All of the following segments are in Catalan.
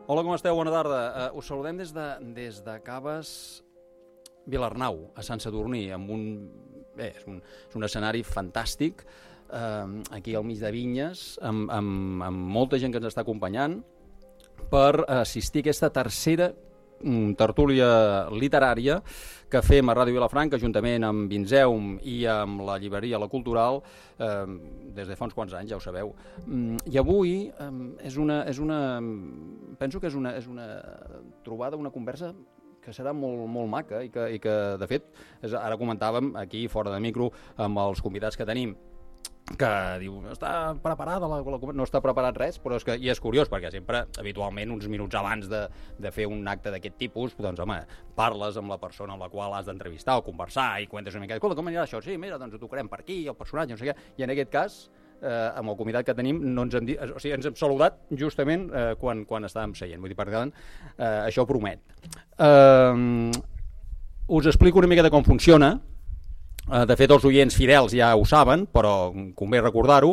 Hola, com esteu? Bona tarda. Us saludem des de Caves Vilarnau, a Sant Sadurní, amb és un escenari fantàstic, aquí al mig de vinyes, amb molta gent que ens està acompanyant, per assistir a aquesta tercera tertúlia literària que fem a Ràdio Vilafranca, juntament amb Vinzeum i amb la llibreria La Cultural, des de fa uns quants anys, ja ho sabeu. I avui penso que és una trobada, una conversa que serà molt maca i que de fet, ara comentàvem aquí fora de micro amb els convidats que tenim, que diu, no està preparada no està preparat res, però és curiós, perquè sempre, habitualment, uns minuts abans de fer un acte d'aquest tipus, doncs, home, parles amb la persona amb la qual has d'entrevistar o conversar i cuentes una mica, escolta, com anirà això? Sí, mira, doncs ho tocarem per aquí, el personatge, no sé què, i en aquest cas, amb el convidat que tenim, no ens han dit, o sigui, ens hem saludat justament quan estàvem seient, vull dir, per tant, això promet. Us explico una mica de com funciona. De fet, els oients fidels ja ho saben, però convé recordar-ho.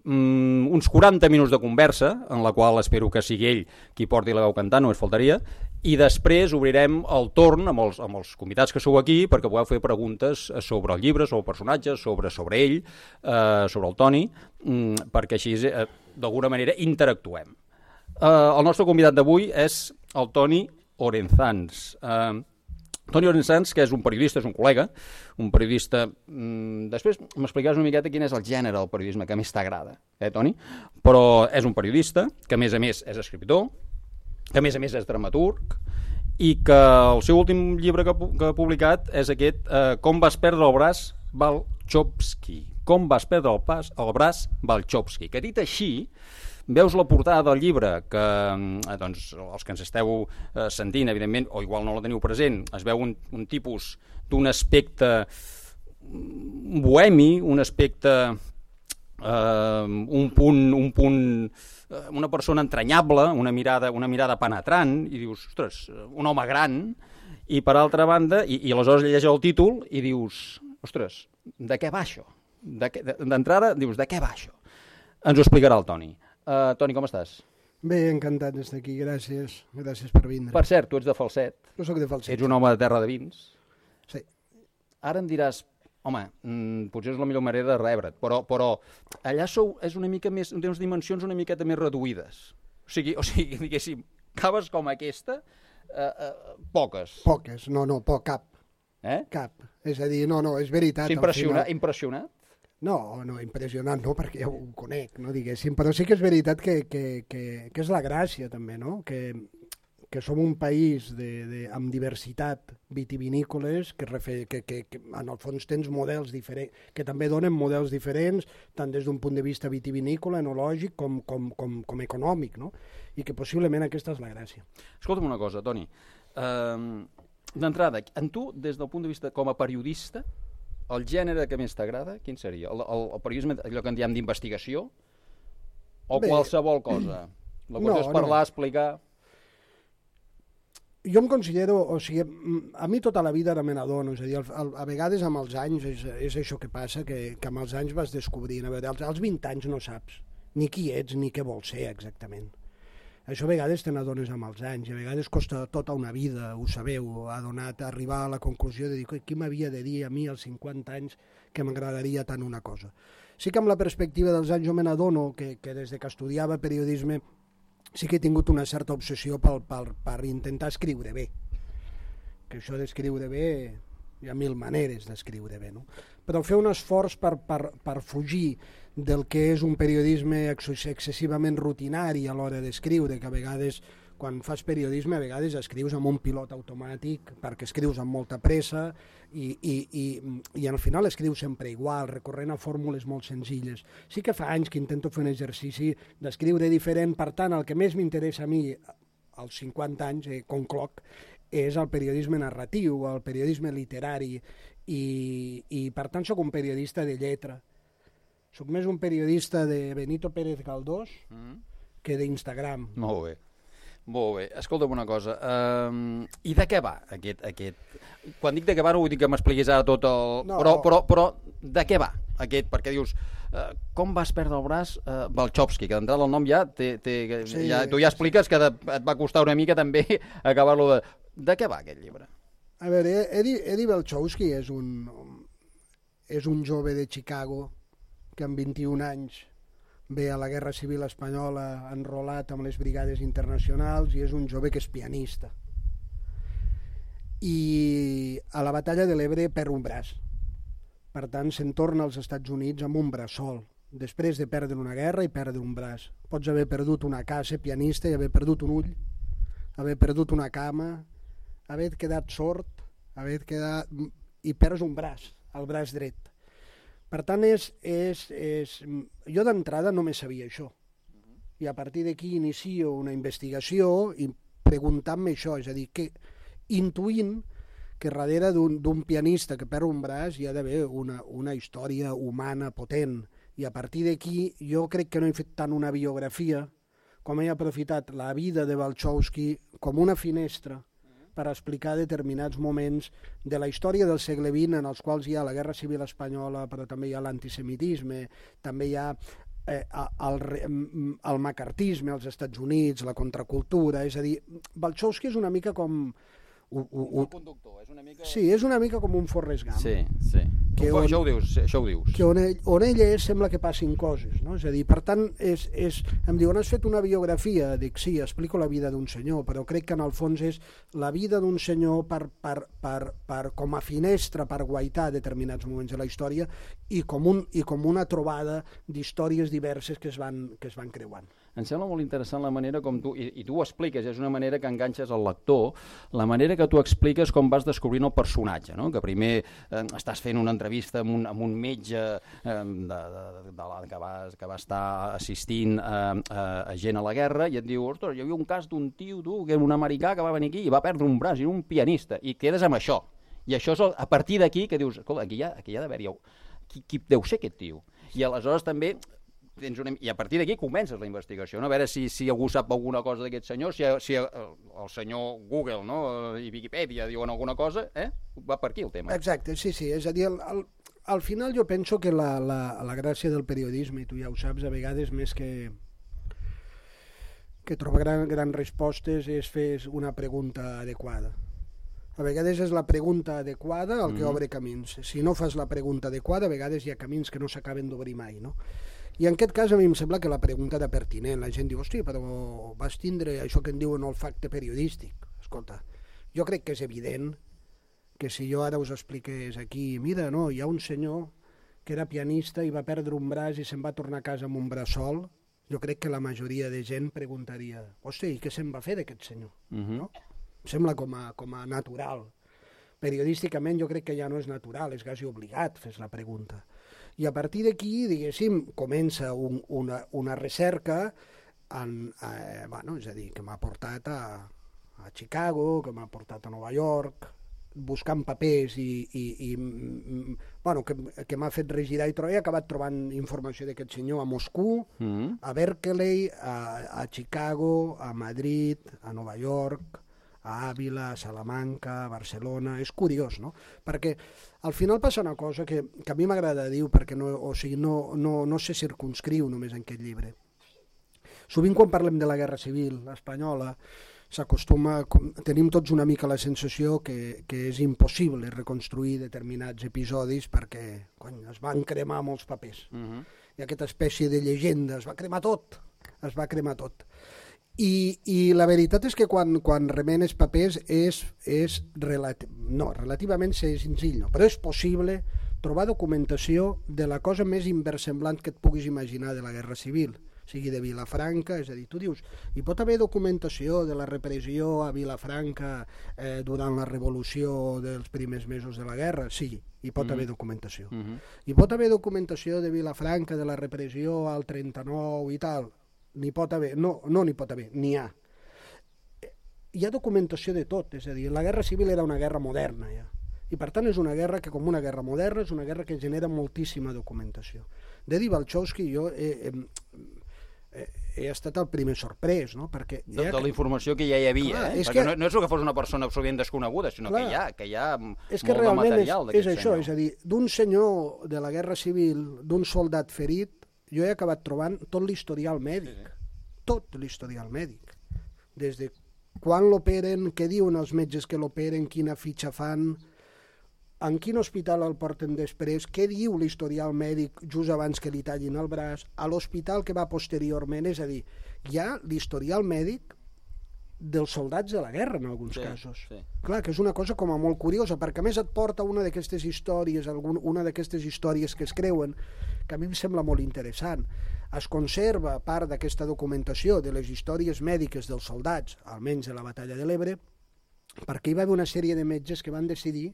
Uns 40 minuts de conversa, en la qual espero que sigui ell qui porti la veu cantant, només faltaria, i després obrirem el torn amb els convidats que sou aquí perquè podeu fer preguntes sobre el llibre, sobre el personatge, sobre ell, sobre el Toni, perquè així d'alguna manera interactuem. El nostre convidat d'avui és el Toni Orenzans. Toni Orenzans, que és un periodista, és un col·lega, un periodista... Després m'explicaràs una miqueta quin és el gènere del periodisme que més t'agrada, Toni? Però és un periodista, que a més és escriptor, que a més és dramaturg, i que el seu últim llibre que ha publicat és aquest Com vas perdre el braç Balchowski. Com vas perdre el braç Balchowski, que dit així... Veus la portada del llibre, que doncs, els que ens esteu sentint, evidentment, o igual no la teniu present, es veu un tipus d'un aspecte bohemi, un aspecte, una persona entranyable, una mirada penetrant, i dius, ostres, un home gran, i per altra banda, i aleshores llegeix el títol i dius, ostres, de què va això? D'entrada dius, de què va això? Ens ho explicarà el Toni. Toni, com estàs? Bé, encantat d'estar aquí, gràcies per vindre. Per cert, tu ets de Falset. Jo soc de Falset. Ets un home de terra de vins. Sí. Ara em diràs, home, potser és la millor manera de rebre't, però allà és una mica més, té unes dimensions una miqueta més reduïdes. O sigui, diguéssim, caves com aquesta, poques. Poques, cap. Cap. És a dir, és veritat. Impressionat? No, impressionant no, perquè ja ho conec, no diguéssim, però sí que és veritat que és la gràcia també, no? Que som un país amb diversitat vitivinícoles, que en el fons tens models diferents, que també donen models diferents, tant des d'un punt de vista vitivinícola, enològic, com econòmic, no? I que possiblement aquesta és la gràcia. Escolta'm una cosa, Toni, d'entrada, en tu, des del punt de vista com a periodista, el gènere que més t'agrada, quin seria? El periodisme, allò que en diem d'investigació? O qualsevol cosa? La qüestió és parlar, explicar... Jo em considero, o sigui, a mi tota la vida me n'adono, és a dir, a vegades amb els anys és això que passa, que amb els anys vas descobrint, a veure, als 20 anys no saps ni qui ets ni què vols ser exactament. Això a vegades te n'adones amb els anys, a vegades costa tota una vida, ho sabeu, arribar a la conclusió de dir qui m'havia de dir a mi als 50 anys que m'agradaria tant una cosa. Sí que amb la perspectiva dels anys jo me n'adono que des que estudiava periodisme sí que he tingut una certa obsessió per intentar escriure bé. Que això d'escriure bé, hi ha mil maneres d'escriure bé, no? Però fer un esforç per fugir del que és un periodisme excessivament rutinari a l'hora d'escriure, que a vegades, quan fas periodisme, a vegades escrius amb un pilot automàtic, perquè escrius amb molta pressa i al final escrius sempre igual, recorrent a fórmules molt senzilles. Sí que fa anys que intento fer un exercici d'escriure diferent, per tant, el que més m'interessa a mi, als 50 anys, concloc, és el periodisme narratiu, el periodisme literari, i per tant soc un periodista de lletra. Soc més un periodista de Benito Pérez Galdós que d'Instagram. Molt bé. Escolta'm una cosa, i de què va aquest... Quan dic de què va no vull dir que m'expliquis ara tot el... Però de què va? aquest, perquè dius, com vas perdre el braç Balchowski, que d'entrada el nom ja, sí, tu ja expliques que et va costar una mica també acabar-lo de... De què va aquest llibre? A veure, Eddie Balchowski és un jove de Chicago que amb 21 anys ve a la Guerra Civil Espanyola enrolat amb les brigades internacionals i és un jove que és pianista. I a la batalla de l'Ebre perd un braç. Per tant, se'n torna als Estats Units amb un braç sol, després de perdre una guerra i perdre un braç. Pots haver perdut una casa pianista i haver perdut un ull, haver perdut una cama, haver quedat sord, i perds un braç, el braç dret. Per tant, jo d'entrada només sabia això. I a partir d'aquí inicio una investigació i preguntant-me això, és a dir, intuint que darrere d'un pianista que perd un braç hi ha d'haver una història humana potent. I a partir d'aquí jo crec que no he fet tant una biografia com he aprofitat la vida de Balchowski com una finestra per explicar determinats moments de la història del segle XX en els quals hi ha la Guerra Civil Espanyola, però també hi ha l'antisemitisme, també hi ha el macartisme als Estats Units, la contracultura, és a dir, Balchowski és una mica com... Un conductor, és una mica... Sí, és una mica com un Forrest Gump. Sí. Això ho dius. Que on ell és sembla que passin coses, no? És a dir, per tant, em diuen, has fet una biografia? Dic, sí, explico la vida d'un senyor, però crec que en el fons és la vida d'un senyor com a finestra per guaitar determinats moments de la història i com una trobada d'històries diverses que es van creuant. Em sembla molt interessant la manera com tu, i tu ho expliques, és una manera que enganxes el lector, la manera que tu expliques com vas descobrint el personatge, no? Que primer estàs fent una entrevista amb un metge que va estar assistint a gent a la guerra i et diu, ostres, hi havia un cas d'un tio, que era un americà que va venir aquí i va perdre un braç, i era un pianista, i quedes amb això. I això és a partir d'aquí que dius, escolta, aquí hi ha d'haver-hi... Qui deu ser aquest tio? I aleshores també... I a partir d'aquí comences la investigació, no? A veure si algú sap alguna cosa d'aquest senyor, si el senyor Google, no? I Wikipedia diuen alguna cosa, va per aquí el tema. Exacte, sí, és a dir, al final jo penso que la gràcia del periodisme, i tu ja ho saps, a vegades més que trobar grans respostes és fer una pregunta adequada. A vegades és la pregunta adequada el que obre camins. Si no fas la pregunta adequada, a vegades hi ha camins que no s'acaben d'obrir mai, no? I en aquest cas a mi em sembla que la pregunta era pertinent. La gent diu, hosti, però vas tindre això que en diuen olfacte periodístic. Escolta, jo crec que és evident que si jo ara us expliqués aquí, mira, no, hi ha un senyor que era pianista i va perdre un braç i se'n va tornar a casa amb un braç sol, jo crec que la majoria de gent preguntaria, hosti, i què se'n va fer d'aquest senyor? No? Em sembla com a natural. Periodísticament jo crec que ja no és natural, és quasi obligat fer la pregunta. I a partir d'aquí, diguéssim, comença una recerca, és a dir, que m'ha portat a Chicago, que m'ha portat a Nova York, buscant papers que m'ha fet regirar i trobar. He acabat trobant informació d'aquest senyor a Moscou, a Berkeley, a Chicago, a Madrid, a Nova York, a Àvila, a Salamanca, a Barcelona. És curiós, no? Perquè al final passa una cosa que a mi m'agrada dir, perquè no se circunscriu només en aquest llibre. Sovint quan parlem de la Guerra Civil espanyola tenim tots una mica la sensació que és impossible reconstruir determinats episodis perquè es van cremar molts papers. I aquesta espècie de llegenda, es va cremar tot. I la veritat és que quan remenes papers relativament senzill, no, però és possible trobar documentació de la cosa més inversemblant que et puguis imaginar de la Guerra Civil, sigui de Vilafranca, és a dir, tu dius, hi pot haver documentació de la repressió a Vilafranca durant la revolució dels primers mesos de la guerra? Sí, hi pot haver documentació. Hi pot haver documentació de Vilafranca, de la repressió al 39 i tal? N'hi pot haver, no n'hi pot haver, n'hi ha. Hi ha documentació de tot, és a dir, la Guerra Civil era una guerra moderna ja, i per tant és una guerra que com una guerra moderna és una guerra que genera moltíssima documentació. D'Eddie Balchowski jo he estat el primer sorprès, no? Perquè de la informació que ja hi havia, clar, perquè no és que fos una persona absolutament desconeguda, sinó clar, que hi ha és que molt de material és d'aquest això, senyor. és a dir, d'un senyor de la Guerra Civil, d'un soldat ferit, jo he acabat trobant tot l'historial mèdic, tot l'historial mèdic, des de quan l'operen, què diuen els metges que l'operen, quina fitxa fan, en quin hospital el porten després, què diu l'historial mèdic just abans que li tallin el braç, a l'hospital que va posteriorment, és a dir, hi ha l'historial mèdic dels soldats de la guerra en alguns casos. Sí. Clar, que és una cosa com a molt curiosa, perquè a més et porta una d'aquestes històries, una d'aquestes històries que es creuen, que a mi em sembla molt interessant. Es conserva part d'aquesta documentació de les històries mèdiques dels soldats, almenys de la batalla de l'Ebre, perquè hi va haver una sèrie de metges que van decidir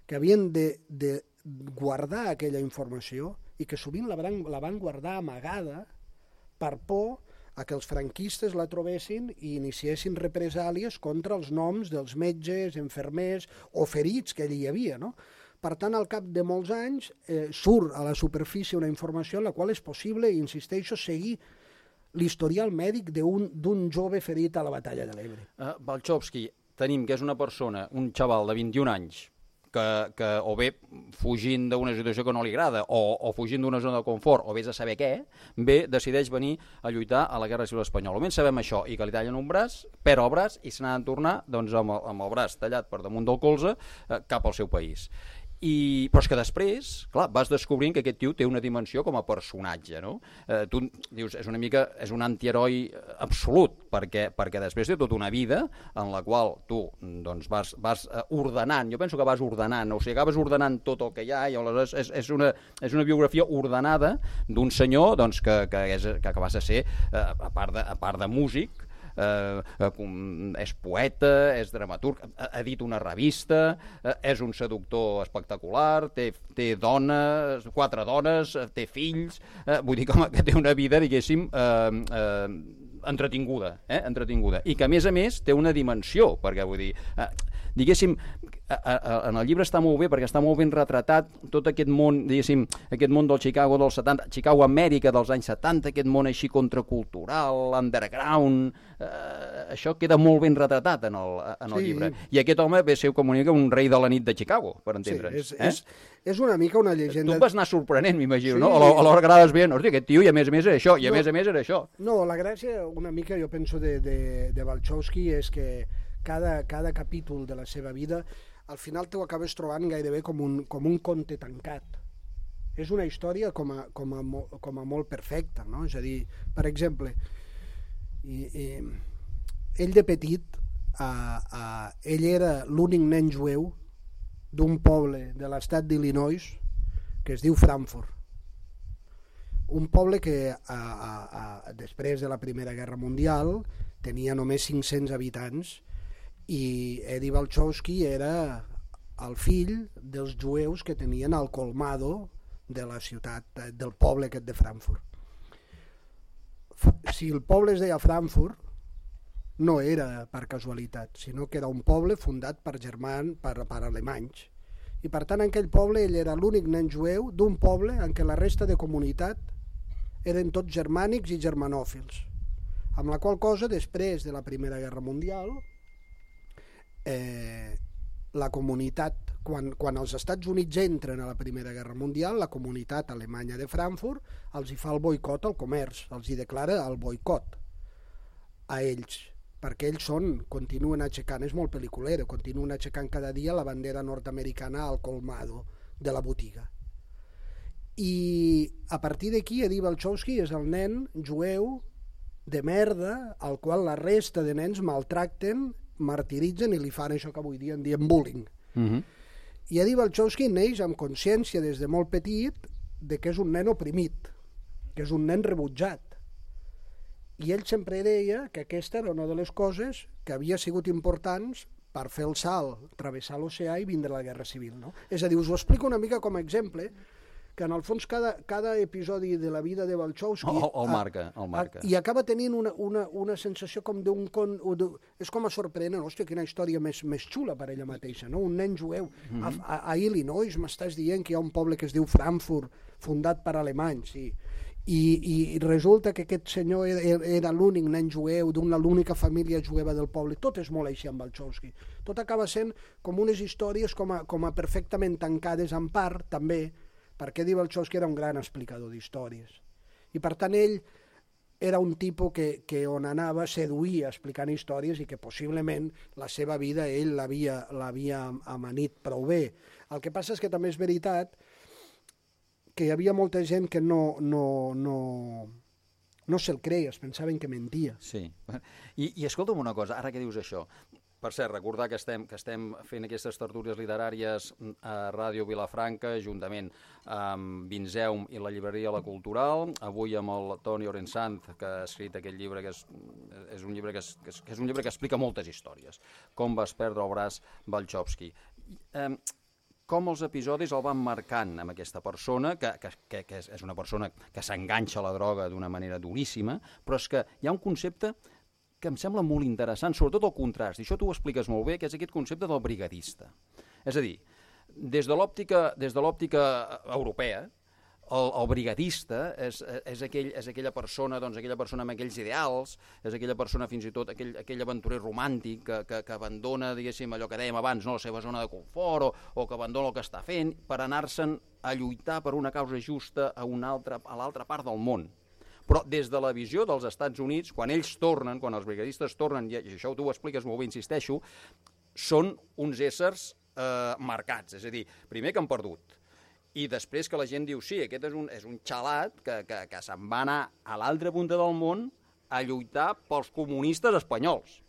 que havien de guardar aquella informació i que sovint la van guardar amagada per por a que els franquistes la trobessin i iniciessin represàlies contra els noms dels metges, infermers o ferits que allí hi havia, no? Per tant, al cap de molts anys surt a la superfície una informació en la qual és possible, insisteixo, seguir l'historial mèdic d'un jove ferit a la batalla de l'Ebre. Balchowski, tenim que és una persona, un xaval de 21 anys, que o bé fugint d'una situació que no li agrada o fugint d'una zona de confort o vés a saber què, bé decideix venir a lluitar a la Guerra Civil Espanyola. Almenys sabem això, i que li tallen un braç, perd el braç i se n'ha de tornar doncs, amb el braç tallat per damunt del colze cap al seu país. Però és que després, clar, vas descobrint que aquest tio té una dimensió com a personatge, no? Tu dius, és un antiheroi absolut, perquè després té tota una vida en la qual tu doncs, vas ordenant, jo penso que vas ordenant, o sigui, acabes ordenant tot el que hi ha, i aleshores és una biografia ordenada d'un senyor doncs, que va a ser, a part de músic, és poeta, és dramaturg, ha dit una revista, és un seductor espectacular, té dones, 4 dones, té fills, vull dir que té una vida, diguéssim, entretinguda, i que a més té una dimensió, perquè vull dir, diguéssim, en el llibre està molt bé perquè està molt ben retratat tot aquest món, diguéssim, aquest món del Chicago dels 70, Chicago Amèrica dels anys 70, aquest món així contracultural, underground, això queda molt ben retratat en el llibre. I aquest home ve a ser com un rei de la nit de Chicago, per entendre'ns. És una mica una llegenda... Tu et vas anar sorprenent, m'imagino, no? A l'hora que anaves veient, hòstia, aquest tio i a més era això, i a més era això. No, la gràcia, una mica, jo penso, de Balchowski és que cada capítol de la seva vida al final t'ho acabes trobant gairebé com un conte tancat. És una història com a molt perfecta, no? És a dir, per exemple, ell de petit, ell era l'únic nen jueu d'un poble de l'estat d'Illinois que es diu Frankfurt. Un poble que després de la Primera Guerra Mundial tenia només 500 habitants i Eddie Balchowski era el fill dels jueus que tenien al colmado de la ciutat, del poble aquest de Frankfurt. Si el poble es deia Frankfurt, no era per casualitat, sinó que era un poble fundat per alemanys. I per tant, en aquell poble ell era l'únic nen jueu d'un poble en què la resta de comunitat eren tots germànics i germanòfils. Amb la qual cosa, després de la Primera Guerra Mundial, la comunitat, quan els Estats Units entren a la Primera Guerra Mundial, la comunitat alemanya de Frankfurt els hi fa el boicot al comerç, els hi declara el boicot a ells, perquè ells continuen aixecant, és molt pel·liculero, continuen aixecant cada dia la bandera nord-americana al colmado de la botiga. I a partir d'aquí Eddie Balchowski és el nen jueu de merda al qual la resta de nens maltracten, martiritzen i li fan això que avui dia en diem bullying. I Eddie Balchowski neix amb consciència des de molt petit de que és un nen oprimit, que és un nen rebutjat. I ell sempre deia que aquesta era una de les coses que havia sigut importants per fer el salt, travessar l'oceà i vindre a la Guerra Civil. No? És a dir, us ho explico una mica com a exemple, que en el fons cada episodi de la vida de Balchowski el marca. I acaba tenint una sensació com d'un con... És com a sorprenent, hòstia, quina història més xula per ella mateixa, no? Un nen jueu a Illinois, m'estàs dient que hi ha un poble que es diu Frankfurt, fundat per alemanys, sí. I resulta que aquest senyor era l'únic nen jueu l'única família jueva del poble. Tot és molt així amb Balchowski. Tot acaba sent com unes històries com a perfectament tancades en part, també, perquè Eddie Balchowski era un gran explicador d'històries. I per tant ell era un tipus que on anava seduïa explicant històries i que possiblement la seva vida ell l'havia amanit prou bé. El que passa és que també és veritat que hi havia molta gent que no se'l creia, es pensaven que mentia. Sí. I escolta'm una cosa, ara que dius això, per cert, recordar que estem fent aquestes tertúlies literàries a Ràdio Vilafranca, juntament amb Vinzeum i la llibreria La Cultural, avui amb el Toni Orensanz, que ha escrit aquest llibre, que és un llibre que explica moltes històries. Com vas perdre el braç Balchowski. Com els episodis el van marcant amb aquesta persona, que és una persona que s'enganxa a la droga d'una manera duríssima, però és que hi ha un concepte que em sembla molt interessant, sobretot el contrast, i això tu ho expliques molt bé, que és aquest concepte del brigadista. És a dir, des de l'òptica europea, el brigadista és aquella persona amb aquells ideals, és aquella persona fins i tot, aquell aventurer romàntic que abandona, diguéssim, allò que dèiem abans, no, la seva zona de confort o que abandona el que està fent per anar-se'n a lluitar per una causa justa a l'altra part del món. Però des de la visió dels Estats Units, quan ells tornen, quan els brigadistes tornen, i això tu ho expliques molt bé, insisteixo, són uns éssers marcats, és a dir, primer que han perdut, i després que la gent diu, sí, aquest és un xalat que se'n va anar a l'altra punta del món a lluitar pels comunistes espanyols,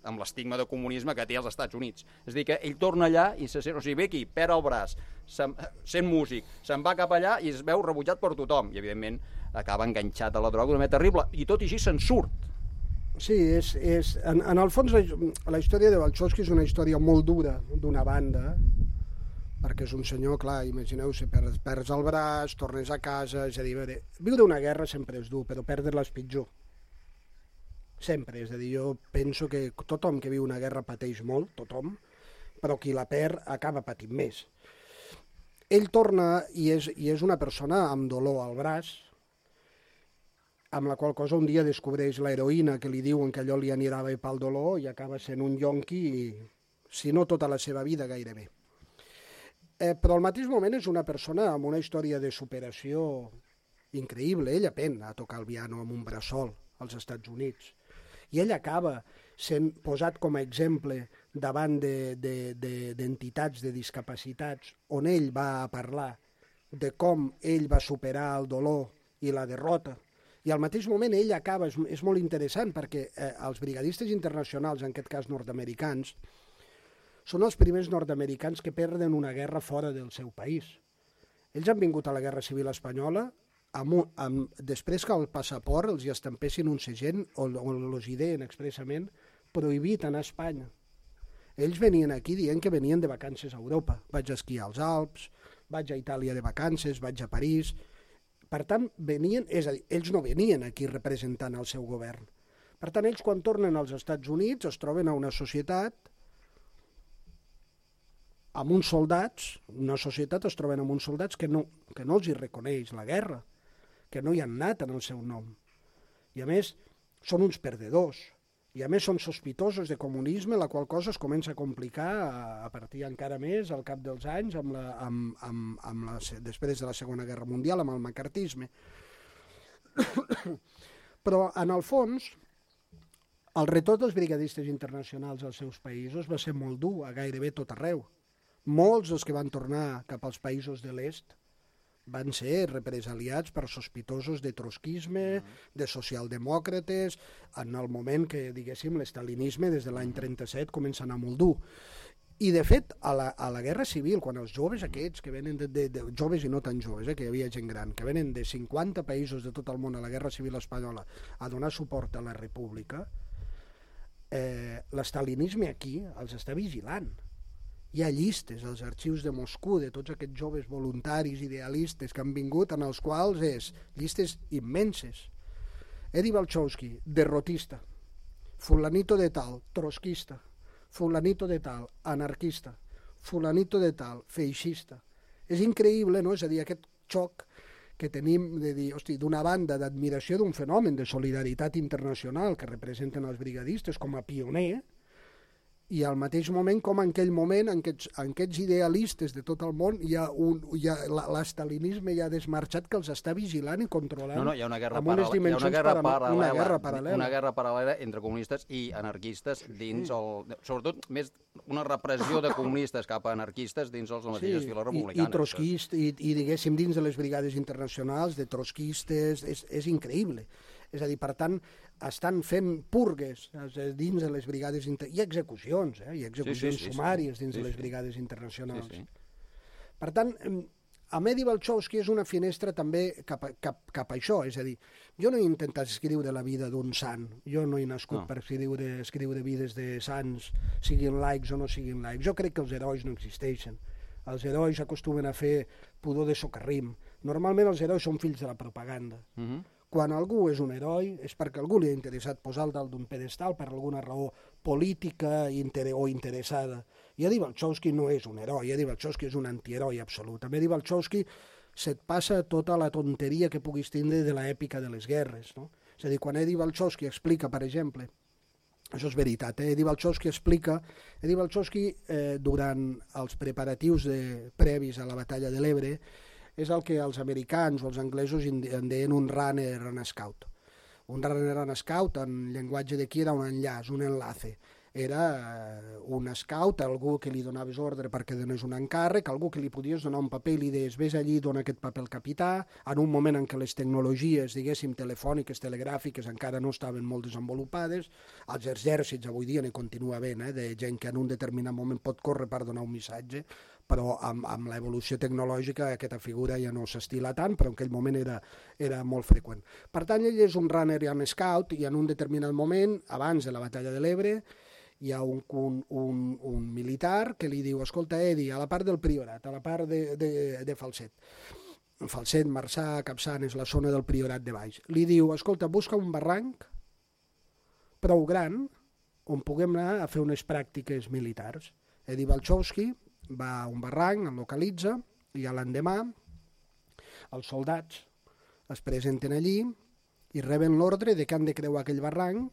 amb l'estigma de comunisme que té als Estats Units. És a dir, que ell torna allà i se sent, o sigui, ve aquí, perd el braç, sent músic, se'n va cap allà i es veu rebutjat per tothom, i evidentment acaba enganxat a la droga d'una manera terrible, i tot i així se'n surt. Sí, en el fons la història de Balchowski és una història molt dura d'una banda, perquè és un senyor, clar, imagineu-se, perds el braç, tornes a casa, és a dir, viure una guerra sempre és dur, però perdre-la és pitjor. Sempre, és a dir, jo penso que tothom que viu una guerra pateix molt, tothom, però qui la perd acaba patint més. Ell torna i és una persona amb dolor al braç, amb la qual cosa un dia descobreix l'heroïna que li diuen que allò li anirà bé pel dolor i acaba sent un yonqui, si no tota la seva vida gairebé. Però al mateix moment és una persona amb una història de superació increïble. Ell aprèn a tocar el piano amb un bressol als Estats Units i ell acaba sent posat com a exemple davant d'entitats de discapacitats on ell va a parlar de com ell va superar el dolor i la derrota. I al mateix moment ell acaba, és molt interessant perquè els brigadistes internacionals, en aquest cas nord-americans, són els primers nord-americans que perden una guerra fora del seu país. Ells han vingut a la Guerra Civil Espanyola després que al passaport els hi estampessin un segell on els hi deien expressament prohibit anar a Espanya. Ells venien aquí dient que venien de vacances a Europa. Vaig a esquiar als Alps, vaig a Itàlia de vacances, vaig a París. Per tant, és a dir, ells no venien aquí representant el seu govern. Per tant, ells quan tornen als Estats Units es troben a una societat amb uns soldats, es troben amb uns soldats que no els hi reconeix la guerra, que no hi han anat en el seu nom. I a més, són uns perdedors. I a més són sospitosos de comunisme, la qual cosa es comença a complicar a partir encara més al cap dels anys, després de la Segona Guerra Mundial, amb el macartisme. Però, en el fons, el retorn dels brigadistes internacionals als seus països va ser molt dur a gairebé tot arreu. Molts dels que van tornar cap als països de l'est van ser represaliats per sospitosos de trotskisme, de socialdemòcrates, en el moment que, diguéssim, l'estalinisme des de l'any 37 comença a anar molt dur. I, de fet, a la Guerra Civil, quan els joves aquests, que venen joves i no tan joves, que hi havia gent gran, que venen de 50 països de tot el món a la Guerra Civil Espanyola a donar suport a la República, l'estalinisme aquí els està vigilant. Hi ha llistes als arxius de Moscou de tots aquests joves voluntaris, idealistes que han vingut, en els quals llistes immenses. Eddie Balchowski, derrotista. Fulanito de tal, trotskista. Fulanito de tal, anarquista. Fulanito de tal, feixista. És increïble, no? És a dir, aquest xoc que tenim de dir, hosti, d'una banda d'admiració d'un fenomen de solidaritat internacional que representen els brigadistes com a pioner, i al mateix moment com en aquell moment en aquests idealistes de tot el món hi ha l'estalinisme ja desmarxat que els està vigilant i controlant. No, hi ha una guerra paral·lela entre comunistes i anarquistes dins sobretot més una repressió de comunistes cap a anarquistes dins les mateixes files republicanes. I diguéssim dins de les brigades internacionals de trotskistes, és increïble. És a dir, per tant, estan fent purgues dins de les brigades i execucions, i execucions sumàries dins de les brigades internacionals. Per tant, a Medi Balchowski és una finestra també cap a això, és a dir, jo no he intentat escriure la vida d'un sant, jo no he nascut per escriure vides de sants, siguin laics o no siguin laics. Jo crec que els herois no existeixen. Els herois acostumen a fer pudor de socarrim. Normalment els herois són fills de la propaganda. Quan algú és un heroi és perquè algú li ha interessat posar-lo dalt d'un pedestal per alguna raó política o interessada. I Eddie Balchowski no és un heroi, Eddie Balchowski és un antiheroi absolut. Amb Eddie Balchowski se't passa tota la tonteria que puguis tindre de l'èpica de les guerres. No? És a dir, quan Eddie Balchowski explica, per exemple, això és veritat, Eddie Balchowski explica, durant els preparatius previs a la batalla de l'Ebre, és el que els americans o els anglesos en deien un runner and scout. Un runner and scout, en llenguatge d'aquí, era un enllaç, un enlace. Era un scout, algú que li donaves ordre perquè donés un encàrrec, algú que li podies donar un paper i li deies vés allí, dona aquest paper al capità, en un moment en què les tecnologies, diguéssim, telefòniques, telegràfiques encara no estaven molt desenvolupades. Els exèrcits avui dia n'hi continua havent, de gent que en un determinat moment pot córrer per donar un missatge, però amb l'evolució tecnològica aquesta figura ja no s'estila tant, però en aquell moment era molt freqüent. Per tant, ell és un runner and scout i en un determinat moment, abans de la batalla de l'Ebre, hi ha un militar que li diu, escolta, Eddie, a la part del Priorat, a la part de Falset. Falset, Marçà, Capçana, és la zona del Priorat de baix. Li diu, escolta, busca un barranc prou gran on puguem anar a fer unes pràctiques militars. Eddie Balchowski va a un barranc, el localitza, i a l'endemà els soldats es presenten allí i reben l'ordre de que han de creuar aquell barranc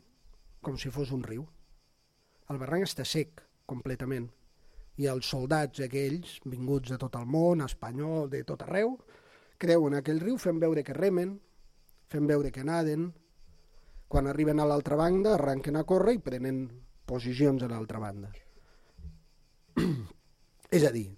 com si fos un riu. El barranc està sec, completament, i els soldats aquells, vinguts de tot el món, espanyol, de tot arreu, creuen aquell riu fent veure que remen, fent veure que naden. Quan arriben a l'altra banda, arranquen a córrer i prenen posicions a l'altra banda. És a dir,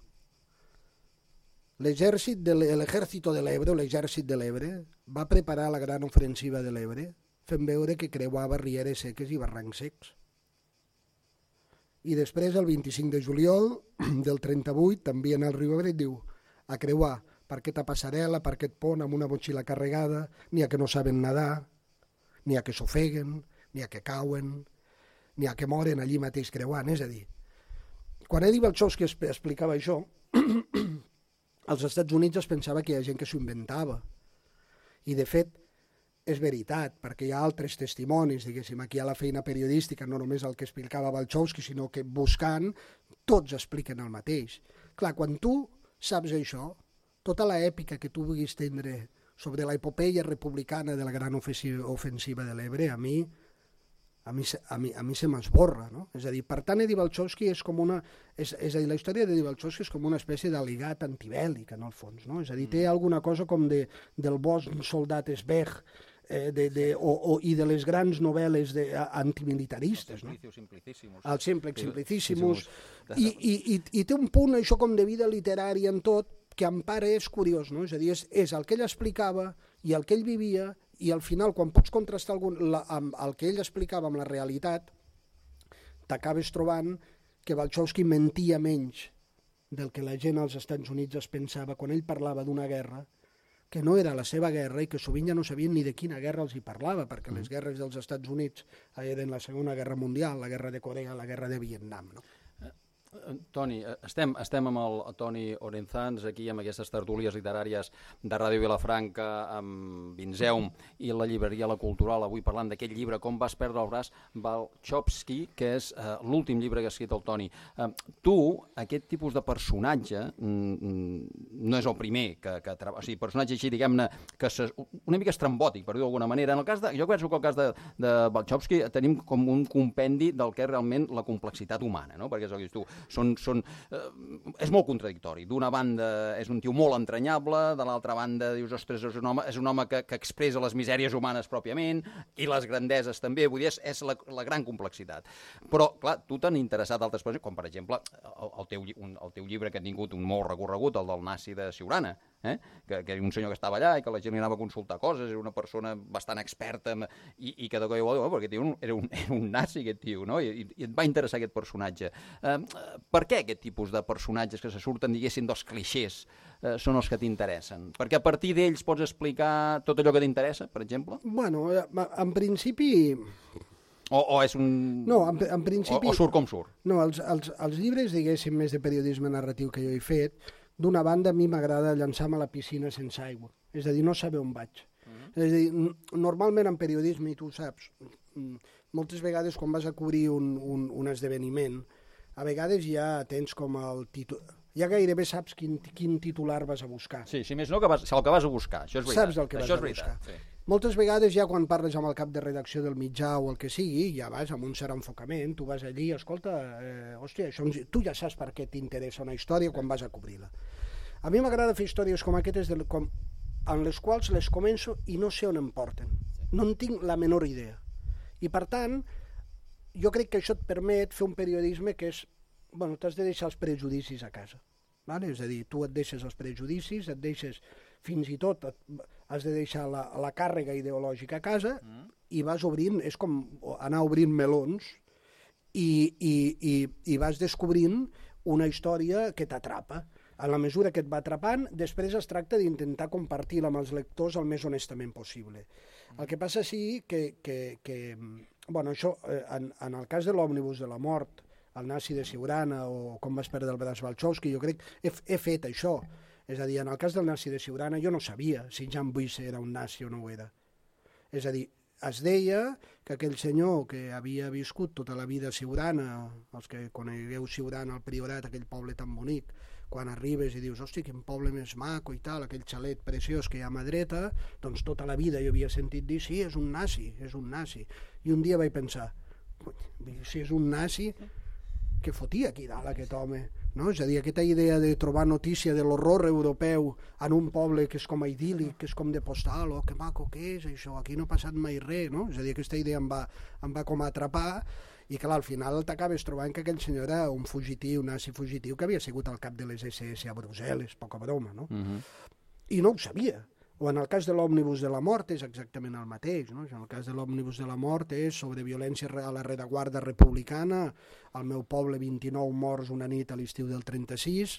l'exèrcit de l'Ebre va preparar la gran ofensiva de l'Ebre fent veure que creuava rieres seques i barrancs secs. I després, el 25 de juliol del 38, també en el riu Ebre, diu a creuar per aquesta passarel·la, per aquest pont amb una motxilla carregada, n'hi ha que no saben nedar, n'hi ha que s'ofeguen, n'hi ha que cauen, n'hi ha que moren allí mateix creuant. És a dir, quan Eddie Balchowski explicava això, als Estats Units es pensava que hi ha gent que s'ho inventava. I, de fet, és veritat, perquè hi ha altres testimonis, diguéssim, aquí hi ha la feina periodística, no només el que explicava Balchowski, sinó que buscant, tots expliquen el mateix. Clar, quan tu saps això, tota l'èpica que tu vulguis tindre sobre l'epopeia republicana de la gran ofensiva de l'Ebre, a mi se m'esborra, no? És a dir, per tant, Eddie Balchowski és com una... És a dir, la història d'Eddie Balchowski és com una espècie d'aligat antibèl·lic, en el fons, no? És a dir, té alguna cosa com del bosc soldat esbeg i de les grans novel·les antimilitaristes, no? El Simplicíssimus. I té un punt, això, com de vida literària en tot, que en part és curiós, no? És a dir, és el que ell explicava i el que ell vivia, i al final, quan pots contrastar amb el que ell explicava amb la realitat, t'acabes trobant que Balchowski mentia menys del que la gent als Estats Units es pensava quan ell parlava d'una guerra que no era la seva guerra i que sovint ja no sabien ni de quina guerra els hi parlava, perquè les guerres dels Estats Units eren la Segona Guerra Mundial, la guerra de Corea, la guerra de Vietnam, no? Toni, estem amb el Toni Orenzans aquí amb aquestes tertúlies literàries de Ràdio Vilafranca amb Vinzeum i la llibreria La Cultural, avui parlant d'aquest llibre Com vas perdre el braç, Balchowski, que és l'últim llibre que ha escrit el Toni. Tu, aquest tipus de personatge no és el primer o sigui, personatge així, diguem-ne, una mica estrambòtic, per dir-ho d'alguna manera. En el cas jo penso que el cas de Balchowski tenim com un compendi del que és realment la complexitat humana, no? Perquè és el que dius tu, és molt contradictori. D'una banda és un tio molt entranyable, de l'altra banda dius, ostres, és un home que expressa les misèries humanes pròpiament i les grandeses també, vull dir, és la gran complexitat. Però, clar, tu t'han interessat altres coses, com per exemple el teu llibre que ha tingut un molt recorregut, el del nazi de Siurana, que era un senyor que estava allà i que la gent li anava a consultar coses, era una persona bastant experta i que de cop i volta, perquè aquest tio era un nazi, aquest tio, no? I et va interessar aquest personatge. Per què aquest tipus de personatges que se surten, diguéssim, dels clixés són els que t'interessen? Perquè a partir d'ells pots explicar tot allò que t'interessa, per exemple? Bueno, en principi... O és un... No, en principi... O surt com surt? No, els llibres, diguéssim, més de periodisme narratiu que jo he fet, d'una banda a mi m'agrada llançar-me a la piscina sense aigua. És a dir, no saber on vaig. És a dir, normalment en periodisme, i tu ho saps, moltes vegades quan vas a cobrir un esdeveniment, a vegades ja tens com el títol... Ja gairebé saps quin titular vas a buscar. Sí, si més no, el que vas a buscar, això és veritat. Saps el que vas a buscar. Sí. Moltes vegades ja quan parles amb el cap de redacció del mitjà o el que sigui, ja vas amb un cert enfocament, tu vas allí, escolta, hòstia, tu ja saps per què t'interessa una història quan vas a cobrir-la. A mi m'agrada fer històries com aquestes en les quals les començo i no sé on em porten. No en tinc la menor idea. I per tant, jo crec que això et permet fer un periodisme que és... Bueno, t'has de deixar els prejudicis a casa. Vale? És a dir, tu et deixes els prejudicis, et deixes fins i tot, has de deixar la càrrega ideològica a casa i vas obrint, és com anar obrint melons i vas descobrint una història que t'atrapa. En la mesura que et va atrapant, després es tracta d'intentar compartir-la amb els lectors el més honestament possible. El que passa sí que bueno, això, en el cas de l'òmnibus de la mort, el nazi de Siurana o com vas perdre el braç Balchowski, jo crec que he fet això. És a dir, en el cas del nazi de Siurana jo no sabia si Jan Buisse era un nazi o no ho era. És a dir, es deia que aquell senyor que havia viscut tota la vida a Siurana, els que conegueu Siurana, el Priorat, aquell poble tan bonic, quan arribes i dius, hosti, quin poble més maco i tal, aquell xalet preciós que hi ha a mà dreta, doncs tota la vida jo havia sentit dir, sí, és un nazi, és un nazi. I un dia vaig pensar, si és un nazi, què fotia aquí dalt aquest home? No? És a dir, aquesta idea de trobar notícia de l'horror europeu en un poble que és com a idíl·lic, que és com de postal, oh, que maco que és això, aquí no ha passat mai res, no? És a dir, aquesta idea em va com a atrapar i clar, al final t'acabes trobant que aquell senyor era un fugitiu, un nazi fugitiu que havia sigut al cap de les SS a Brussel·les, poca broma, no? I no ho sabia. O en el cas de l'òmnibus de la mort és exactament el mateix, no? En el cas de l'òmnibus de la mort és sobre violència a la rereguarda republicana, al meu poble 29 morts una nit a l'estiu del 36,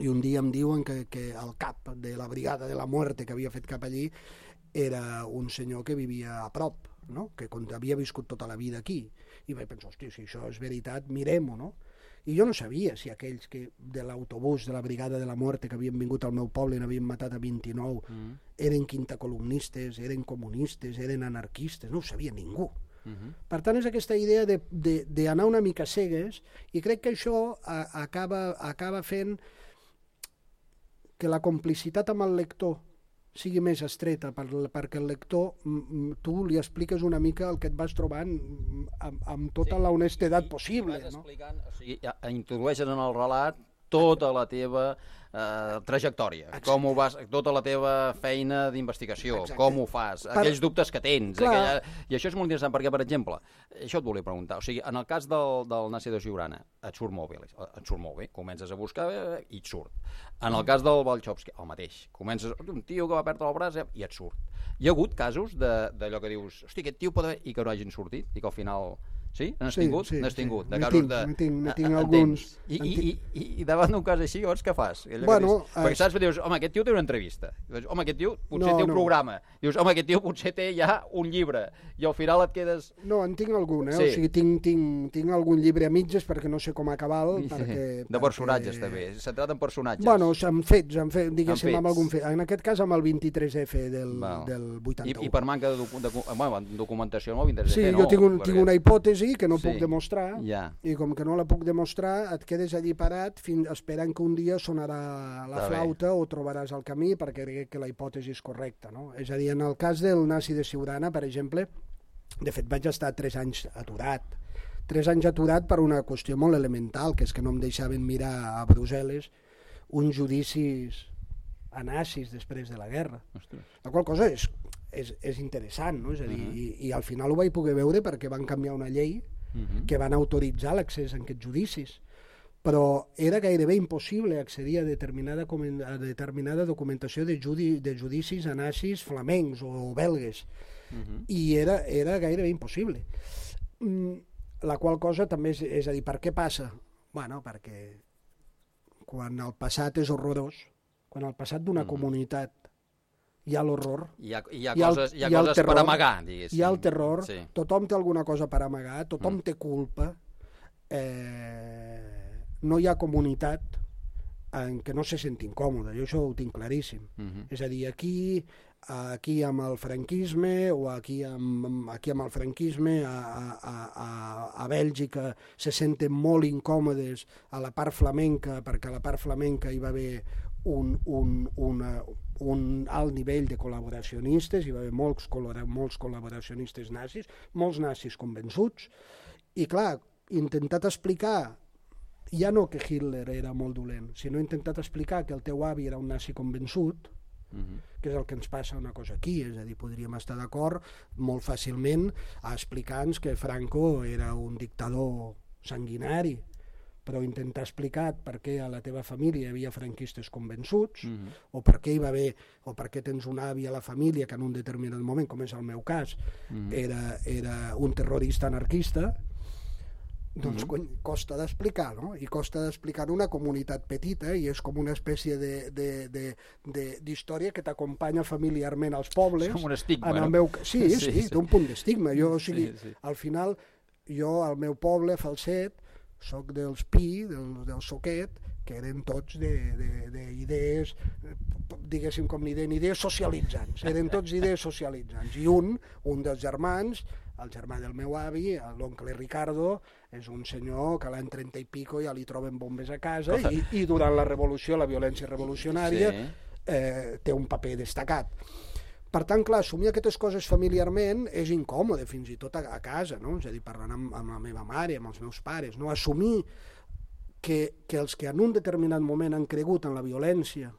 i un dia em diuen que el cap de la brigada de la muerte que havia fet cap allí era un senyor que vivia a prop, no? Que havia viscut tota la vida aquí. I vaig pensar, hòstia, si això és veritat, mirem-ho, no? I jo no sabia si aquells que de l'autobús de la brigada de la muerte que havien vingut al meu poble i n'havien matat a 29 eren quintacolumnistes, eren comunistes, eren anarquistes, no ho sabia ningú. Per tant, és aquesta idea d'anar una mica cegues i crec que això acaba fent que la complicitat amb el lector sigui més estreta, perquè el lector, tu li expliques una mica el que et vas trobant amb tota la honestedat possible. Vas explicant, o sigui, introdueixes en el relat tota la teva trajectòria, com ho vas, tota la teva feina d'investigació, com ho fas, aquells dubtes que tens. I això és molt interessant perquè, per exemple, això et volia preguntar, o sigui, en el cas del nazi de Siurana, et surt molt bé, comences a buscar i et surt. En el cas del Balchowski, el mateix, comences, un tio que va perdre el braç i et surt. Hi ha hagut casos d'allò que dius, hosti, aquest tio pot haver... i que no hagin sortit, i que al final... Sí? N'has tingut? N'has tingut. Ne tinc alguns. I davant d'un cas així, llavors què fas? Perquè saps, dius, home, aquest tio té una entrevista. Home, aquest tio potser té un programa. Dius, home, aquest tio potser té ja un llibre. I al final et quedes... No, en tinc algun, o sigui, tinc algun llibre a mitges perquè no sé com acabar-lo. De personatges, també. Centrat en personatges. Bueno, amb fets, diguéssim, amb algun fet. En aquest cas, amb el 23F del 81. I per manca de documentació amb el 23F, sí, jo tinc una hipòtesi hipòtesi que no puc demostrar, i com que no la puc demostrar et quedes allí parat esperant que un dia sonarà la flauta o trobaràs el camí perquè crec que la hipòtesi és correcta, no? És a dir, en el cas del nazi de Siurana, per exemple, de fet vaig estar 3 anys aturat. 3 anys aturat per una qüestió molt elemental, que és que no em deixaven mirar a Brussel·les uns judicis a nazis després de la guerra. La qual cosa és interessant, no? És a dir, i al final ho vaig poder veure perquè van canviar una llei que van autoritzar l'accés a aquests judicis. Però era gairebé impossible accedir a determinada documentació de judicis a nazis flamencs o belgues. I era gairebé impossible. La qual cosa també és a dir, per què passa? Bueno, perquè quan el passat és horrorós, quan al passat d'una comunitat hi ha l'horror, hi ha coses per amagar, diguéssim. Hi ha el terror, tothom té alguna cosa per amagar, tothom té culpa, no hi ha comunitat en què no se senti incòmode, jo això ho tinc claríssim. És a dir, aquí amb el franquisme o aquí amb el franquisme a Bèlgica se senten molt incòmodes a la part flamenca perquè a la part flamenca hi va haver un alt nivell de col·laboracionistes, hi va haver molts col·laboracionistes nazis, molts nazis convençuts, i clar, intentat explicar ja no que Hitler era molt dolent, sinó intentat explicar que el teu avi era un nazi convençut, que és el que ens passa una cosa aquí, és a dir, podríem estar d'acord molt fàcilment a explicar-nos que Franco era un dictador sanguinari, però intentar explicar per què a la teva família hi havia franquistes convençuts, o per què hi va haver, o per què tens un avi a la família que en un determinat moment, com és el meu cas, era un terrorista anarquista, doncs costa d'explicar, no? I costa d'explicar una comunitat petita i és com una espècie d'història que t'acompanya familiarment als pobles. És com un estigma, no? Sí, té un punt d'estigma. Al final, jo al meu poble, a Falset, soc dels Pi, del Soquet, que eren tots d'idees, diguéssim com idees socialitzants, eren tots idees socialitzants. I un dels germans, el germà del meu avi, l'oncle Ricardo, és un senyor que a l'any 30 i pico ja li troben bombes a casa i durant la revolució, la violència revolucionària, té un paper destacat. Per tant, clar, assumir aquestes coses familiarment és incòmode, fins i tot a casa, no? És a dir, parlant amb la meva mare, amb els meus pares, no? Assumir que els que en un determinat moment han cregut en la violència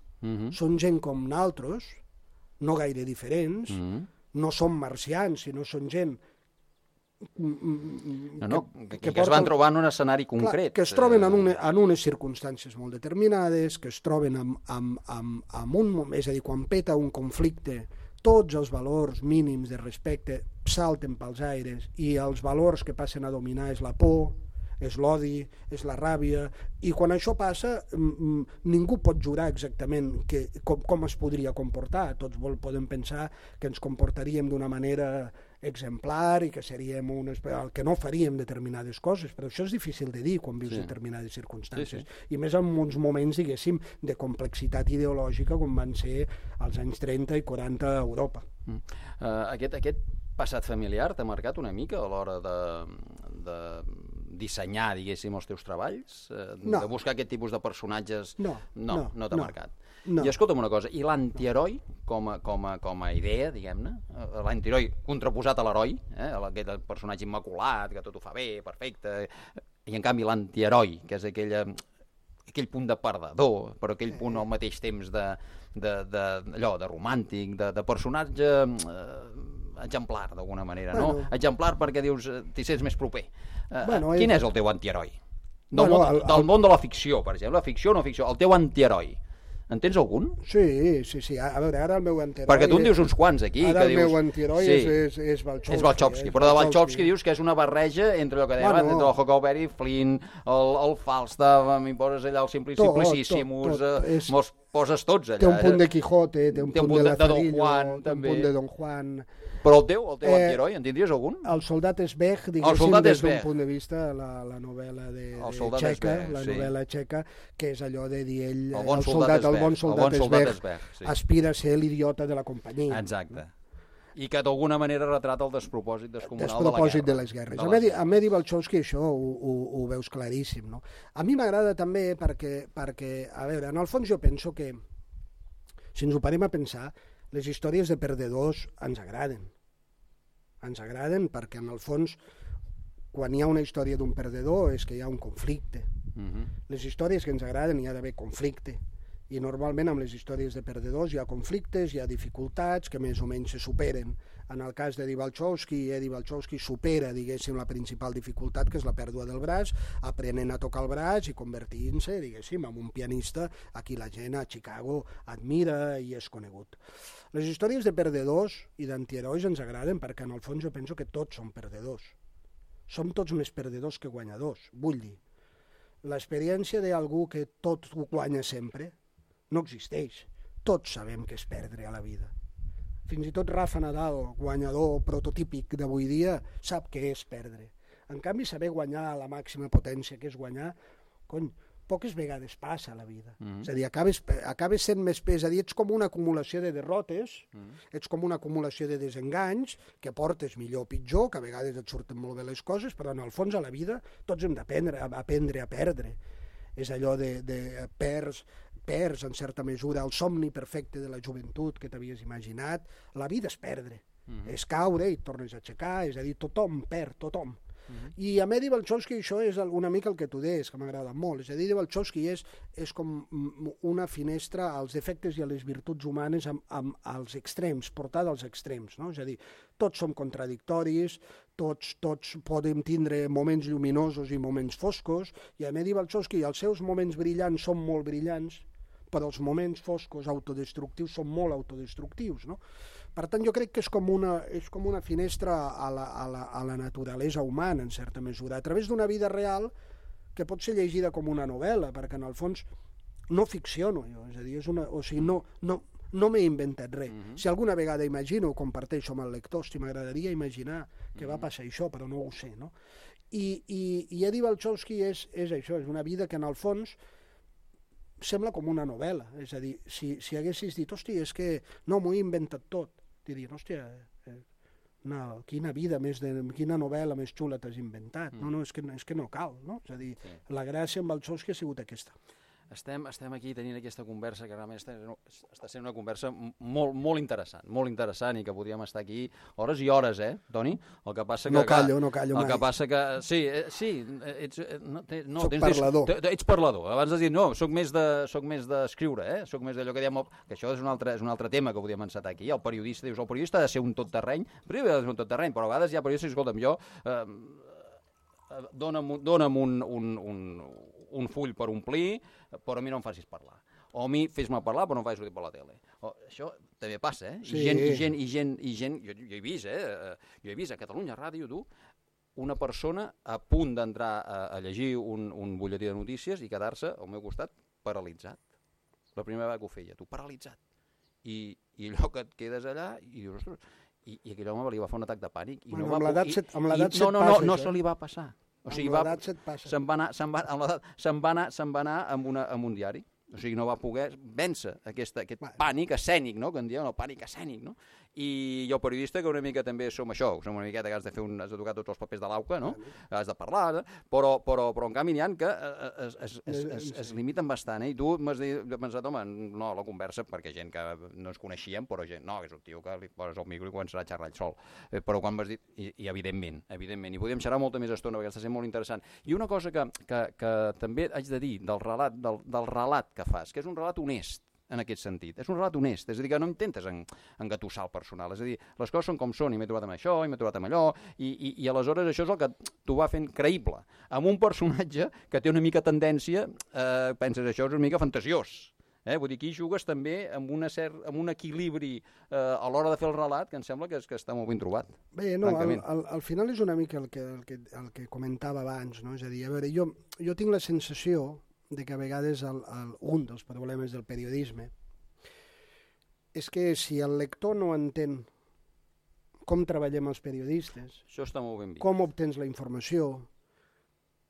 són gent com nosaltres, no gaire diferents, no són marcians, sinó són gent que es van trobar en un escenari concret. Que es troben en unes circumstàncies molt determinades, que es troben en un moment, és a dir, quan peta un conflicte, tots els valors mínims de respecte salten pels aires i els valors que passen a dominar és la por, és l'odi, és la ràbia, i quan això passa ningú pot jurar exactament com es podria comportar. Tots podem pensar que ens comportaríem d'una manera exemplar i que seríem el que no faríem determinades coses, però això és difícil de dir quan vius determinades circumstàncies, i més en uns moments, diguéssim, de complexitat ideològica com van ser els anys 30 i 40 a Europa. Aquest passat familiar t'ha marcat una mica a l'hora de dissenyar, diguéssim, els teus treballs? De buscar aquest tipus de personatges? No t'ha marcat. I escolta'm una cosa, i l'antiheroi com a idea, diguem-ne, l'antiheroi contraposat a l'heroi, aquest personatge immaculat, que tot ho fa bé, perfecte, i en canvi l'antiheroi, que és aquell punt de perdedor, però aquell punt al mateix temps de romàntic, de personatge exemplar, d'alguna manera, no? Exemplar perquè dius, t'hi sents més proper. Quin és el teu antiheroi? Del món de la ficció, per exemple, la ficció o no ficció, el teu antiheroi. En tens algun? Sí. A veure, ara el meu antiheroi... Perquè tu en dius uns quants aquí. Ara el meu antiheroi és Balchowski. És Balchowski, però de Balchowski dius que és una barreja entre el que dèiem, entre el Huckleberry, Flynn, el Falstaff, m'hi allà el Simplicissimus, me'ls poses tots allà. Té un punt de Quijote, té un punt de Lazarillo, té un punt de Don Juan... Però el teu antiheroi, en tindries algun? El soldat Esbeg, diguéssim, des d'un punt de vista, la novel·la txeca, la novel·la txeca, que és allò de dir ell, el bon soldat Esbeg, aspira a ser l'idiota de la companyia. Exacte. I que d'alguna manera retrata el despropòsit descomunal de les guerres. A Medi Balchowski això ho veus claríssim, no? A mi m'agrada també perquè, a veure, en el fons jo penso que, si ens ho parem a pensar, les històries de perdedors ens agraden. Ens agraden perquè, en el fons, quan hi ha una història d'un perdedor és que hi ha un conflicte. Les històries que ens agraden hi ha d'haver conflicte. I normalment amb les històries de perdedors hi ha conflictes, hi ha dificultats que més o menys se superen. En el cas d'Eddie Balchowski supera, diguéssim, la principal dificultat, que és la pèrdua del braç, aprenent a tocar el braç i convertint-se, diguéssim, en un pianista a qui la gent a Chicago admira i és conegut. Les històries de perdedors i d'antiherois ens agraden perquè, en el fons, jo penso que tots som perdedors. Som tots més perdedors que guanyadors. Vull dir, l'experiència d'algú que tot ho guanya sempre no existeix. Tots sabem què és perdre a la vida. Fins i tot Rafa Nadal, guanyador prototípic d'avui dia, sap què és perdre. En canvi, saber guanyar a la màxima potència, que és guanyar, poques vegades passa a la vida. És a dir, acabes sent més pes. És a dir, ets com una acumulació de derrotes, ets com una acumulació de desenganys, que portes millor o pitjor, que a vegades et surten molt bé les coses, però en el fons a la vida tots hem d'aprendre a perdre. És allò de perds en certa mesura el somni perfecte de la joventut que t'havies imaginat. La vida és perdre, és caure i et tornes a aixecar, és a dir, tothom perd, tothom. I a Medi Balchowski això és una mica el que tu deies, que m'agrada molt. És a dir, Balchowski és com una finestra als defectes i a les virtuts humanes als extrems, portada als extrems, no? És a dir, tots som contradictoris, tots podem tindre moments lluminosos i moments foscos, i a Medi Balchowski els seus moments brillants són molt brillants, però els moments foscos autodestructius són molt autodestructius, no? Per tant, jo crec que és com una finestra a la naturalesa humana, en certa mesura, a través d'una vida real que pot ser llegida com una novel·la, perquè en el fons no ficciono jo, és a dir, no m'he inventat res. Si alguna vegada imagino, ho comparteixo amb el lector, si m'agradaria imaginar que va passar això, però no ho sé, no? I Eddie Balchowski és això, és una vida que en el fons sembla com una novel·la, és a dir, si haguessis dit, hòstia, és que no, m'ho he inventat tot, dirien, hòstia, quina novel·la més xula t'has inventat, no, és que no cal, no? És a dir, la gràcia amb Balchowski ha sigut aquesta. Estem aquí tenint aquesta conversa que realment està sent una conversa molt interessant i que podríem estar aquí hores i hores, Toni? El que passa que... No callo mai. El que passa que... Sí, soc parlador. Ets parlador. Abans has dit, no, soc més d'escriure, soc més d'allò que diem... Que això és un altre tema que podríem encetar aquí. El periodista, dius, el periodista ha de ser un tot terreny, però a vegades hi ha periodistes, escolta'm, jo... Dóna'm un full per omplir, però a mi no em facis parlar. O a mi fes-me parlar, però no em facis sortir per la tele. Això també passa, Sí. I gent, jo he vist, jo he vist a Catalunya Ràdio, una persona a punt d'entrar a llegir un butlletí de notícies i quedar-se al meu costat paralitzat. La primera vegada que ho feia, paralitzat. I allò que et quedes allà i dius, ostres, i aquell home li va fer un atac de pànic. Amb l'edat no se li va passar. O sigui, se'n va anar amb un diari. O sigui, no va poder vèncer aquest pànic escènic, no? Que en diuen el pànic escènic, no? I jo, periodista, que una mica també som això, som una miqueta que has de tocar tots els papers de l'auca, no? Has de parlar, però en canvi n'hi ha que es limiten bastant, I tu m'has pensat, home, no, la conversa, perquè gent que no ens coneixíem, però gent, no, que és un tio que li poses el micro i començarà a xerrar ell sol. Però quan m'has dit, i evidentment, i podíem xerrar molta més estona, perquè està sent molt interessant. I una cosa que també haig de dir del relat que fas, que és un relat honest, en aquest sentit. És un relat honest, és a dir, que no intentes engatussar el personal, és a dir, les coses són com són, i m'he trobat amb això, i m'he trobat amb allò, i aleshores això és el que t'ho va fent creïble. Amb un personatge que té una mica tendència, penses, això és una mica fantasiós. Vull dir, aquí jugues també amb un equilibri a l'hora de fer el relat que em sembla que està molt ben trobat. Bé, no, al final és una mica el que comentava abans, no? És a dir, a veure, jo tinc la sensació de que a vegades un dels problemes del periodisme és que si el lector no entén com treballem els periodistes, això està molt ben vist. Com obtens la informació,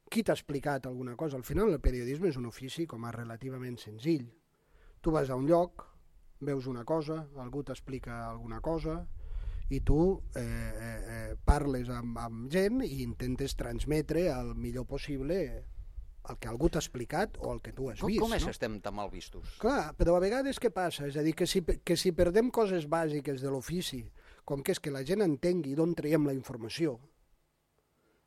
qui t'ha explicat alguna cosa. Al final el periodisme és un ofici com a relativament senzill. Tu vas a un lloc, veus una cosa, algú t'explica alguna cosa i tu parles amb gent i intentes transmetre el millor possible el que algú t'ha explicat o el que tu has vist. Com és que estem tan mal vistos? Clar, però a vegades què passa? És a dir, que si perdem coses bàsiques de l'ofici, com que és que la gent entengui d'on traiem la informació,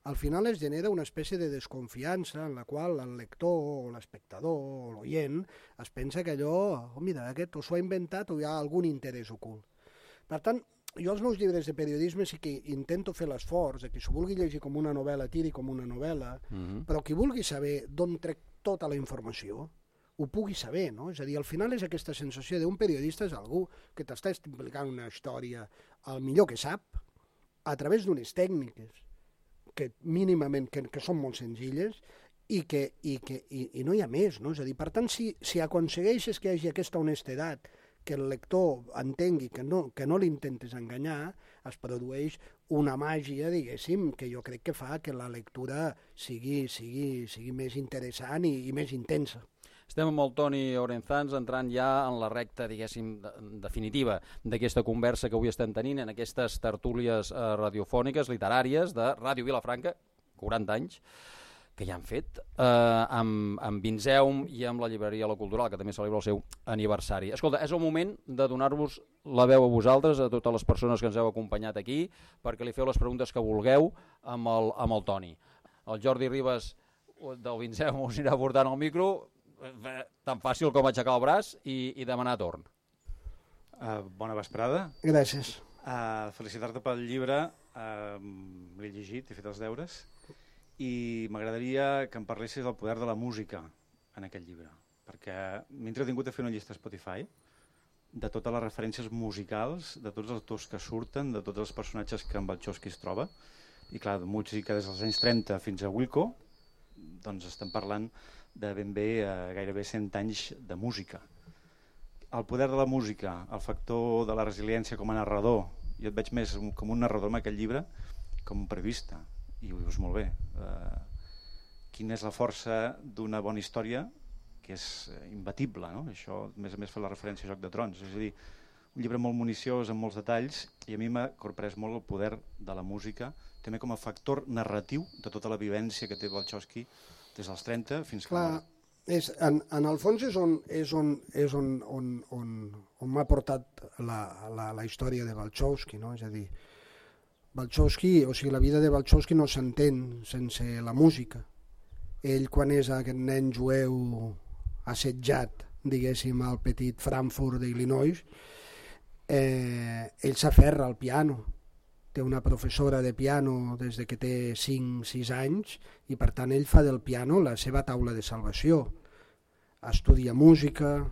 al final es genera una espècie de desconfiança en la qual el lector o l'espectador o l'oient es pensa que allò, mira, aquest o s'ho ha inventat o hi ha algun interès ocult. Per tant, jo als meus llibres de periodisme sí que intento fer l'esforç de que s'ho vulgui llegir com una novel·la tiri com una novel·la, però qui vulgui saber d'on trec tota la informació ho pugui saber, no? És a dir, al final és aquesta sensació d'un periodista és algú que t'està explicant una història al millor que sap a través d'unes tècniques que mínimament que són molt senzilles i no hi ha més, no? És a dir, per tant, si aconsegueixes que hi hagi aquesta honestedat, que el lector entengui que no l'intentes enganyar, es produeix una màgia, diguéssim, que jo crec que fa que la lectura sigui més interessant i més intensa. Estem amb el Toni Orenzans entrant ja en la recta, diguéssim, definitiva d'aquesta conversa que avui estem tenint en aquestes tertúlies radiofòniques, literàries de Ràdio Vilafranca, 40 anys, que ja han fet, amb Vinzeum i amb la llibreria La Cultural, que també celebra el seu aniversari. Escolta, és el moment de donar-vos la veu a vosaltres, a totes les persones que ens heu acompanyat aquí, perquè li feu les preguntes que vulgueu amb el Toni. El Jordi Ribas del Vinzeum us anirà portant el micro, tan fàcil com aixecar el braç i demanar torn. Bona vesprada. Gràcies. Felicitar-te pel llibre, l'he llegit, he fet els deures, i m'agradaria que em parlessis del poder de la música en aquest llibre, perquè m'he entretingut a fer una llista a Spotify de totes les referències musicals, de tots els autors que surten, de tots els personatges que en Balchowski es troba, i clar, de música des dels anys 30 fins a Wilco, doncs estem parlant de ben bé gairebé 100 anys de música. El poder de la música, el factor de la resiliència com a narrador, jo et veig més com un narrador en aquest llibre, com un periodista, i ho dius molt bé. Quina és la força d'una bona història, que és imbatible, no? Això, a més fa la referència a Joc de Trons, és a dir, un llibre molt municiós, amb molts detalls, i a mi m'ha corprès molt el poder de la música, també com a factor narratiu de tota la vivència que té Balchowski des dels 30 fins que... Clar, en el fons és on m'ha portat la història de Balchowski, no? És a dir, Balchowski, o sigui, la vida de Balchowski no s'entén sense la música. Ell, quan és aquest nen jueu assetjat, diguéssim, al petit Frankfurt d'Illinois, ell s'aferra al piano. Té una professora de piano des que té 5-6 anys i per tant ell fa del piano la seva taula de salvació. Estudia música,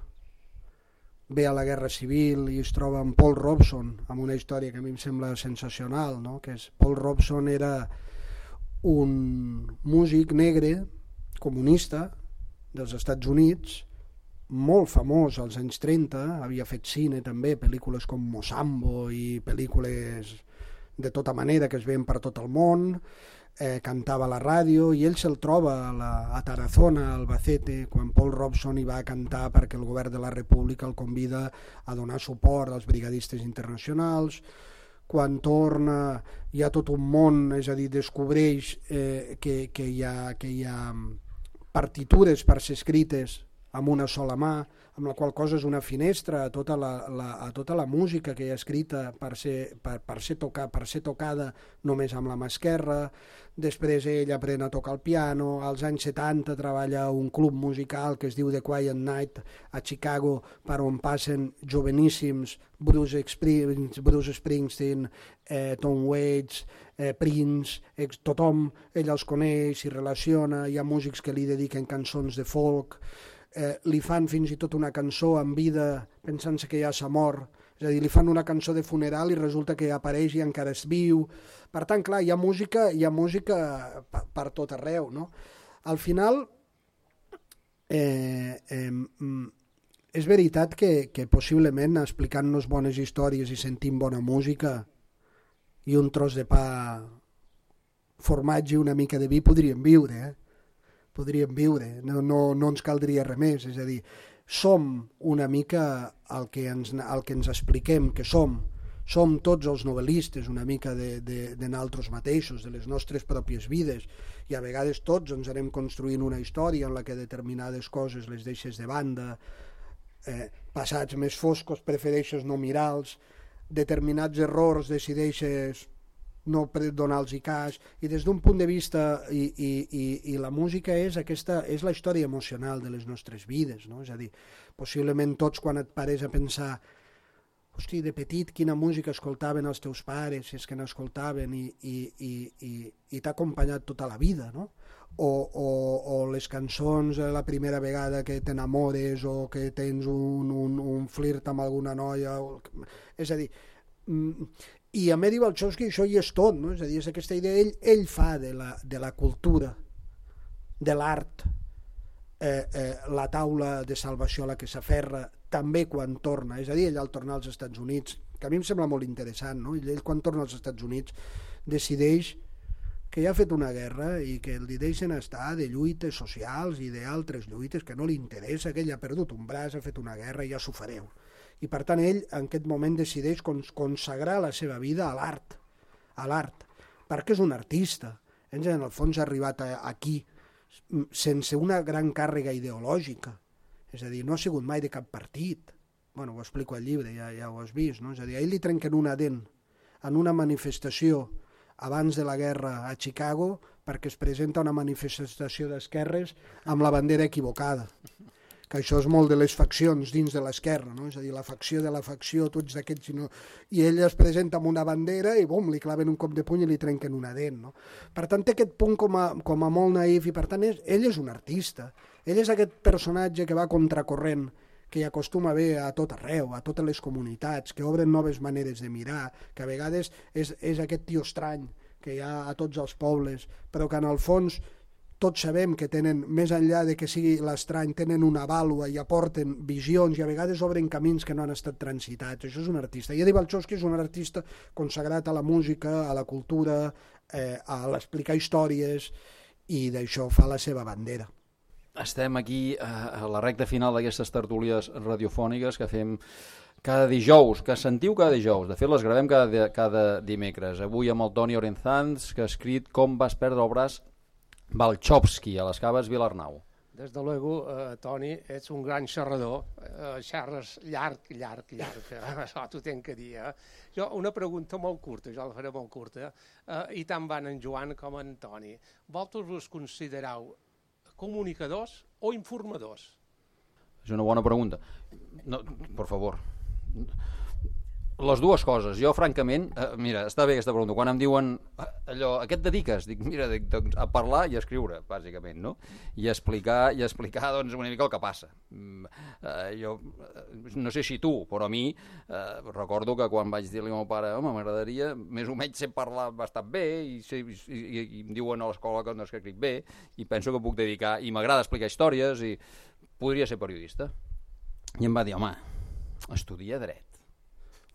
ve a la Guerra Civil i es troba amb Paul Robeson, amb una història que a mi em sembla sensacional, no? Que és, Paul Robeson era un músic negre comunista dels Estats Units, molt famós als anys 30, havia fet cine també, pel·lícules com Mosambo i pel·lícules de tota manera que es veien per tot el món, cantava a la ràdio i ell se'l troba a Tarazona, a Albacete, quan Paul Robeson hi va a cantar perquè el govern de la República el convida a donar suport als brigadistes internacionals. Quan torna hi ha tot un món, és a dir, descobreix que hi ha partitures per ser escrites amb una sola mà, amb la qual cosa és una finestra a tota la música que hi ha escrita per ser tocada només amb la mà esquerra. Després ell aprèn a tocar el piano, als anys 70 treballa a un club musical que es diu The Quiet Night a Chicago, per on passen joveníssims Bruce Springsteen, Tom Waits, Prince, tothom, ell els coneix, s'hi relaciona, hi ha músics que li dediquen cançons de folk, li fan fins i tot una cançó en vida pensant-se que ja s'ha mort, és a dir, li fan una cançó de funeral i resulta que apareix i encara es viu. Per tant, clar, hi ha música per tot arreu, no? Al final, és veritat que possiblement explicant-nos bones històries i sentint bona música i un tros de pa, formatge i una mica de vi podríem viure, podríem viure, no ens caldria res més, és a dir, som una mica el que ens expliquem que som som tots els novel·listes una mica de nosaltres mateixos, de les nostres pròpies vides, i a vegades tots ens anem construint una història en la que determinades coses les deixes de banda, passats més foscos prefereixes no mirar-los, determinats errors decideixes no donar-los cas, i des d'un punt de vista, i la música és la història emocional de les nostres vides, no? És a dir, possiblement tots quan et pares a pensar hosti, de petit quina música escoltaven els teus pares, si és que n'escoltaven, i t'ha acompanyat tota la vida, no? O les cançons la primera vegada que t'enamores o que tens un flirt amb alguna noia, és a dir, i a Medi Balchowski això hi és tot, no? És a dir, és aquesta idea, ell fa de la cultura, de l'art, la taula de salvació a la que s'aferra també quan torna, és a dir, ell al tornar als Estats Units, que a mi em sembla molt interessant, no? Ell quan torna als Estats Units decideix que ja ha fet una guerra i que li deixen estar de lluites socials i d'altres lluites que no li interessa, que ell ha perdut un braç, ha fet una guerra i ja s'ho fareu. I per tant ell en aquest moment decideix consagrar la seva vida a l'art, perquè és un artista. Ell en el fons ha arribat aquí sense una gran càrrega ideològica, és a dir, no ha sigut mai de cap partit. Bueno, ho explico al llibre, ja ho has vist, no? És a dir, a ell li trenquen una dent en una manifestació abans de la guerra a Chicago perquè es presenta una manifestació d'esquerres amb la bandera equivocada, que això és molt de les faccions dins de l'esquerra, no? És a dir, la facció de la facció, tu ets d'aquests, i ell es presenta amb una bandera i bum, li claven un cop de puny i li trenquen una dent, no? Per tant, té aquest punt com a molt naïf, i per tant ell és un artista, ell és aquest personatge que va contracorrent, que hi acostuma a haver a tot arreu, a totes les comunitats, que obren noves maneres de mirar, que a vegades és aquest tio estrany que hi ha a tots els pobles, però que en el fons tots sabem que tenen, més enllà de que sigui l'estrany, tenen una vàlua i aporten visions i a vegades obren camins que no han estat transitats. Això és un artista. I Eddie Balchowski és un artista consagrat a la música, a la cultura, a l'explicar històries, i d'això fa la seva bandera. Estem aquí a la recta final d'aquestes tertúlies radiofòniques que fem cada dijous, que sentiu cada dijous. De fet, les gravem cada dimecres. Avui amb el Toni Orenzans, que ha escrit Com vas perdre el braç Balchowski, a les Caves Vilarnau. Des de luego, Toni, ets un gran xerrador, xerres llarg, això t'ho tenc que dir. Jo, una pregunta molt curta, jo la faré molt curta, i tant van en Joan com en Toni. Vosaltres us considereu comunicadors o informadors? És una bona pregunta. No, per favor. Les dues coses. Jo, francament, mira, està bé aquesta pregunta. Quan em diuen allò, a què et dediques? Dic, mira, a parlar i a escriure, bàsicament, no? I explicar doncs, una mica el que passa. Jo no sé si tu, però a mi recordo que quan vaig dir-li al meu pare, home, m'agradaria, més o menys sé parlar bastant bé i em diuen a l'escola que escric bé i penso que puc dedicar, i m'agrada explicar històries i podria ser periodista. I em va dir, home, estudia dret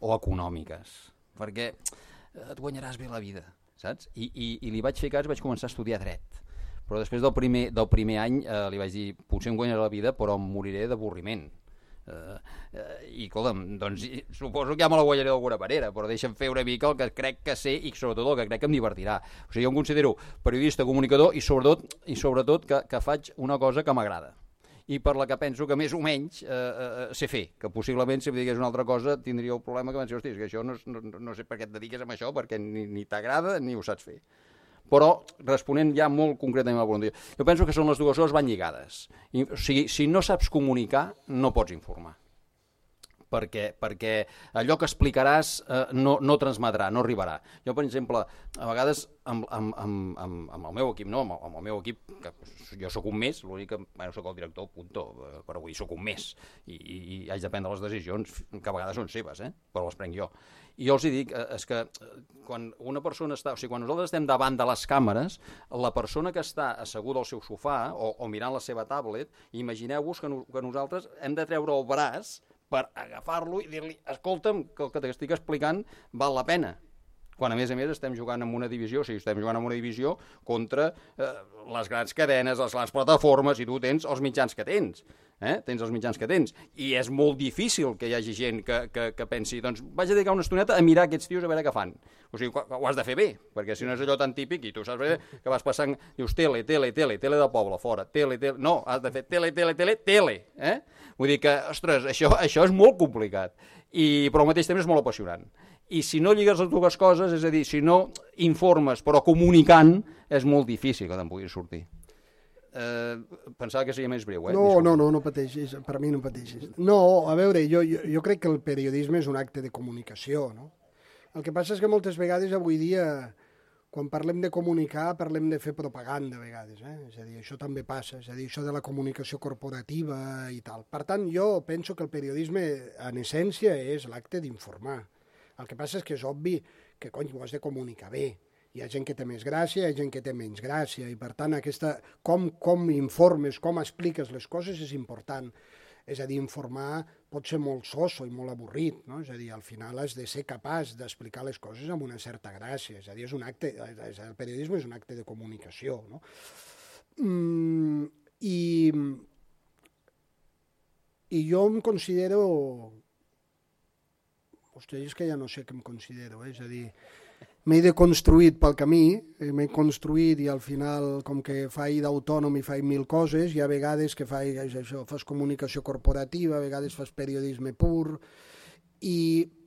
o econòmiques, perquè et guanyaràs bé la vida, saps? I li vaig fer cas, vaig començar a estudiar dret, però després del primer any li vaig dir, potser em guanyaré la vida, però em moriré d'avorriment. I escolta'm, doncs suposo que ja me la guanyaré d'alguna manera, però deixa'm fer una mica el que crec que sé i sobretot el que crec que em divertirà. O sigui, jo em considero periodista, comunicador i sobretot que faig una cosa que m'agrada i per la que penso que més o menys sé fer, que possiblement si em digués una altra cosa tindria el problema que hòstia, és que això no sé per què et dediques a això, perquè ni t'agrada ni ho saps fer. Però, responent ja molt concretament a la pregunta, jo penso que són les dues coses van lligades. O sigui, si no saps comunicar, no pots informar. Perquè allò que explicaràs no transmetrà, no arribarà. Jo, per exemple, a vegades amb el meu equip, no, amb el meu equip, que jo sóc un més, l'únic que soc el director, punto, però vull dir, soc un més, i haig de prendre les decisions, que a vegades són seves, però les prenc jo. I jo els dic, és que quan una persona està, o sigui, quan nosaltres estem davant de les càmeres, la persona que està asseguda al seu sofà o mirant la seva tablet, imagineu-vos que nosaltres hem de treure el braç per agafar-lo i dir-li, escolta'm, que el que t'estic explicant val la pena. Quan a més estem jugant en una divisió, contra les grans cadenes, les grans plataformes, i tu tens els mitjans que tens. tens els mitjans que tens, i és molt difícil que hi hagi gent que pensi, doncs vaig a dedicar una estoneta a mirar aquests tios a veure què fan. O sigui, ho has de fer bé, perquè si no és allò tan típic, i tu saps bé que vas passant, dius tele del poble, fora, tele, no, has de fer tele, Vull dir que, ostres, això és molt complicat, però al mateix temps és molt apassionant. I si no lligues les dues coses, és a dir, si no informes però comunicant, és molt difícil que te'n puguis sortir. Pensava que seria més breu, No pateixis, per mi no pateixis. No, a veure, jo crec que el periodisme és un acte de comunicació, no? El que passa és que moltes vegades avui dia, quan parlem de comunicar, parlem de fer propaganda a vegades, És a dir, això també passa, és a dir, això de la comunicació corporativa i tal. Per tant, jo penso que el periodisme, en essència, és l'acte d'informar. El que passa és que és obvi que, ho has de comunicar bé. Hi ha gent que té més gràcia, hi ha gent que té menys gràcia, i per tant, com informes, com expliques les coses és important. És a dir, informar pot ser molt soso i molt avorrit, no? És a dir, al final has de ser capaç d'explicar les coses amb una certa gràcia. És a dir, el periodisme és un acte de comunicació, no? I jo em considero... Ostres, és que ja no sé què em considero, És a dir, m'he deconstruït pel camí, m'he construït i al final, com que faig d'autònom i faig 1000 coses, hi ha vegades que fas comunicació corporativa, a vegades fas periodisme pur,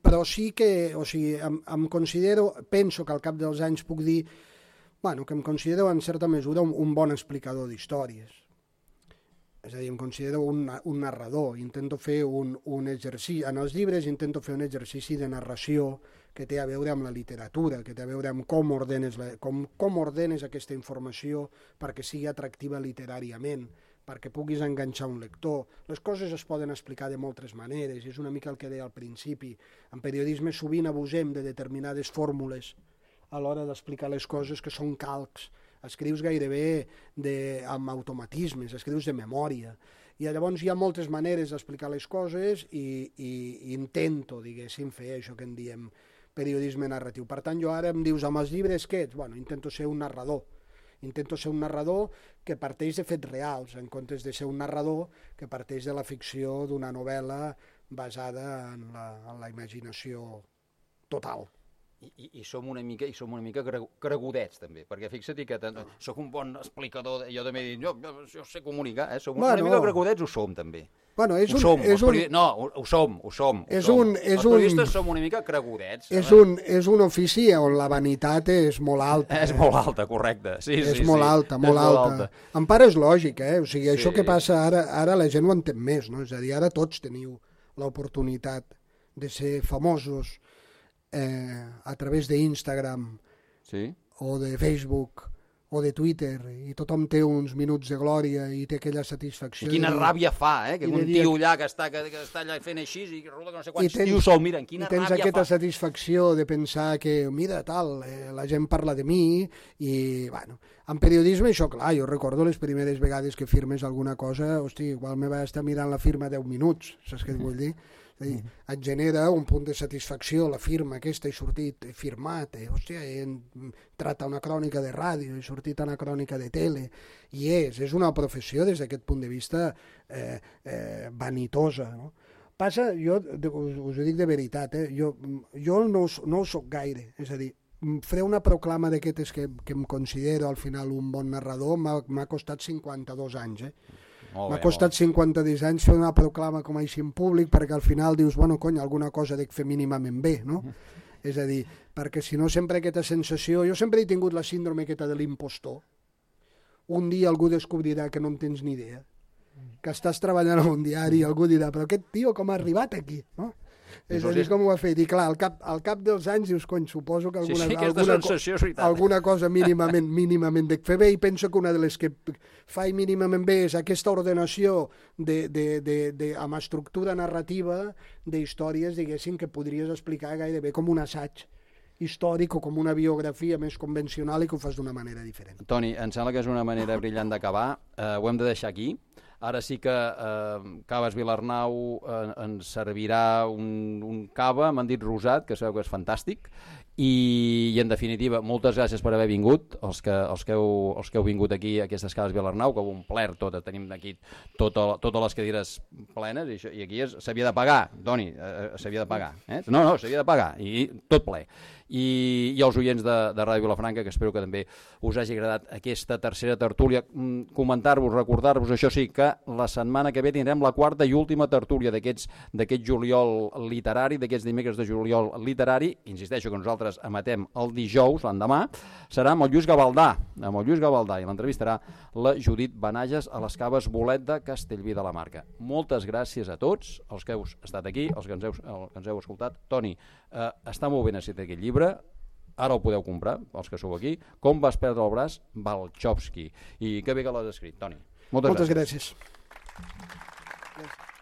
però sí que, em considero, penso que al cap dels anys puc dir, que em considero en certa mesura un bon explicador d'històries. És a dir, em considero un narrador, intento fer un exercici, en els llibres intento fer un exercici de narració que té a veure amb la literatura, que té a veure amb com ordenes aquesta informació perquè sigui atractiva literàriament, perquè puguis enganxar un lector. Les coses es poden explicar de moltes maneres, és una mica el que deia al principi. En periodisme sovint abusem de determinades fórmules a l'hora d'explicar les coses que són calcs. Escrius gairebé amb automatismes, escrius de memòria. I llavors hi ha moltes maneres d'explicar les coses i intento, diguéssim, fer això que en diem periodisme narratiu. Per tant, jo ara em dius, amb els llibres què ets? Intento ser un narrador. Intento ser un narrador que parteix de fets reals, en comptes de ser un narrador que parteix de la ficció d'una novel·la basada en la imaginació total. I som una mica cregudets, també, perquè fixa't que soc un bon explicador, jo també dic, jo sé comunicar, som una mica cregudets, ho som, també. Ho som. Els periodistes som una mica cregudets. És un ofici on la vanitat és molt alta. És molt alta, correcte. És molt alta. En part és lògic, O sigui, això que passa ara la gent ho entén més, no? És a dir, ara tots teniu l'oportunitat de ser famosos a través d'Instagram o de Facebook o de Twitter, i tothom té uns minuts de glòria i té aquella satisfacció. I quina ràbia fa, que un tio allà que està allà fent així i resulta que no sé quants tios sol miren, quina ràbia fa. I tens aquesta satisfacció de pensar que, mira, tal, la gent parla de mi, i, en periodisme això, clar, jo recordo les primeres vegades que firmes alguna cosa, igual me vaig estar mirant la firma 10 minuts, saps què et vull dir? És a dir, et genera un punt de satisfacció la firma aquesta, he sortit, he firmat, he entrat a una crònica de ràdio, he sortit a una crònica de tele, i és una professió des d'aquest punt de vista vanitosa, no? Passa, jo us ho dic de veritat, jo no ho soc gaire, és a dir, fer una proclama d'aquestes que em considero al final un bon narrador m'ha costat 52 anys, M'ha costat 52 anys fer una proclama com així en públic, perquè al final dius, alguna cosa dec fer mínimament bé, no? És a dir, perquè si no sempre aquesta sensació... Jo sempre he tingut la síndrome aquesta de l'impostor. Un dia algú descobrirà que no en tens ni idea, que estàs treballant a un diari i algú dirà, però aquest tio com ha arribat aquí, no? És a dir, com ho ha fet? I clar, al cap dels anys dius, suposo que alguna cosa mínimament dec fer bé, i penso que una de les que faig mínimament bé és aquesta ordenació amb estructura narrativa d'històries, diguéssim, que podries explicar gairebé com un assaig històric o com una biografia més convencional i que ho fas d'una manera diferent. Toni, em sembla que és una manera brillant d'acabar. Ho hem de deixar aquí. Ara sí que Caves Vilarnau ens servirà un cava, m'han dit rosat, que sabeu que és fantàstic, i en definitiva, moltes gràcies per haver vingut, els que heu vingut aquí a aquestes Caves Vilarnau, que ho omplert tot, tenim aquí totes les cadires plenes, i aquí s'havia de pagar, Toni, s'havia de pagar, no, s'havia de pagar, i tot ple. I els oients de Ràdio Vilafranca, que espero que també us hagi agradat aquesta tercera tertúlia, comentar-vos, recordar-vos, això sí, que la setmana que ve tindrem la quarta i última tertúlia d'aquest juliol literari, d'aquests dimecres de juliol literari. Insisteixo que nosaltres emetem el dijous, l'endemà, serà amb el Lluís Gavaldà, i l'entrevistarà la Judit Benages a les Caves Bolet de Castellví de la Marca. Moltes gràcies a tots els que heu estat aquí, els que ens heu escoltat. Toni, està molt ben escrit aquest llibre, ara el podeu comprar, els que sou aquí. Com vas perdre el braç? Balchowski. I que bé que l'has escrit, Toni. Moltes gràcies. Gràcies.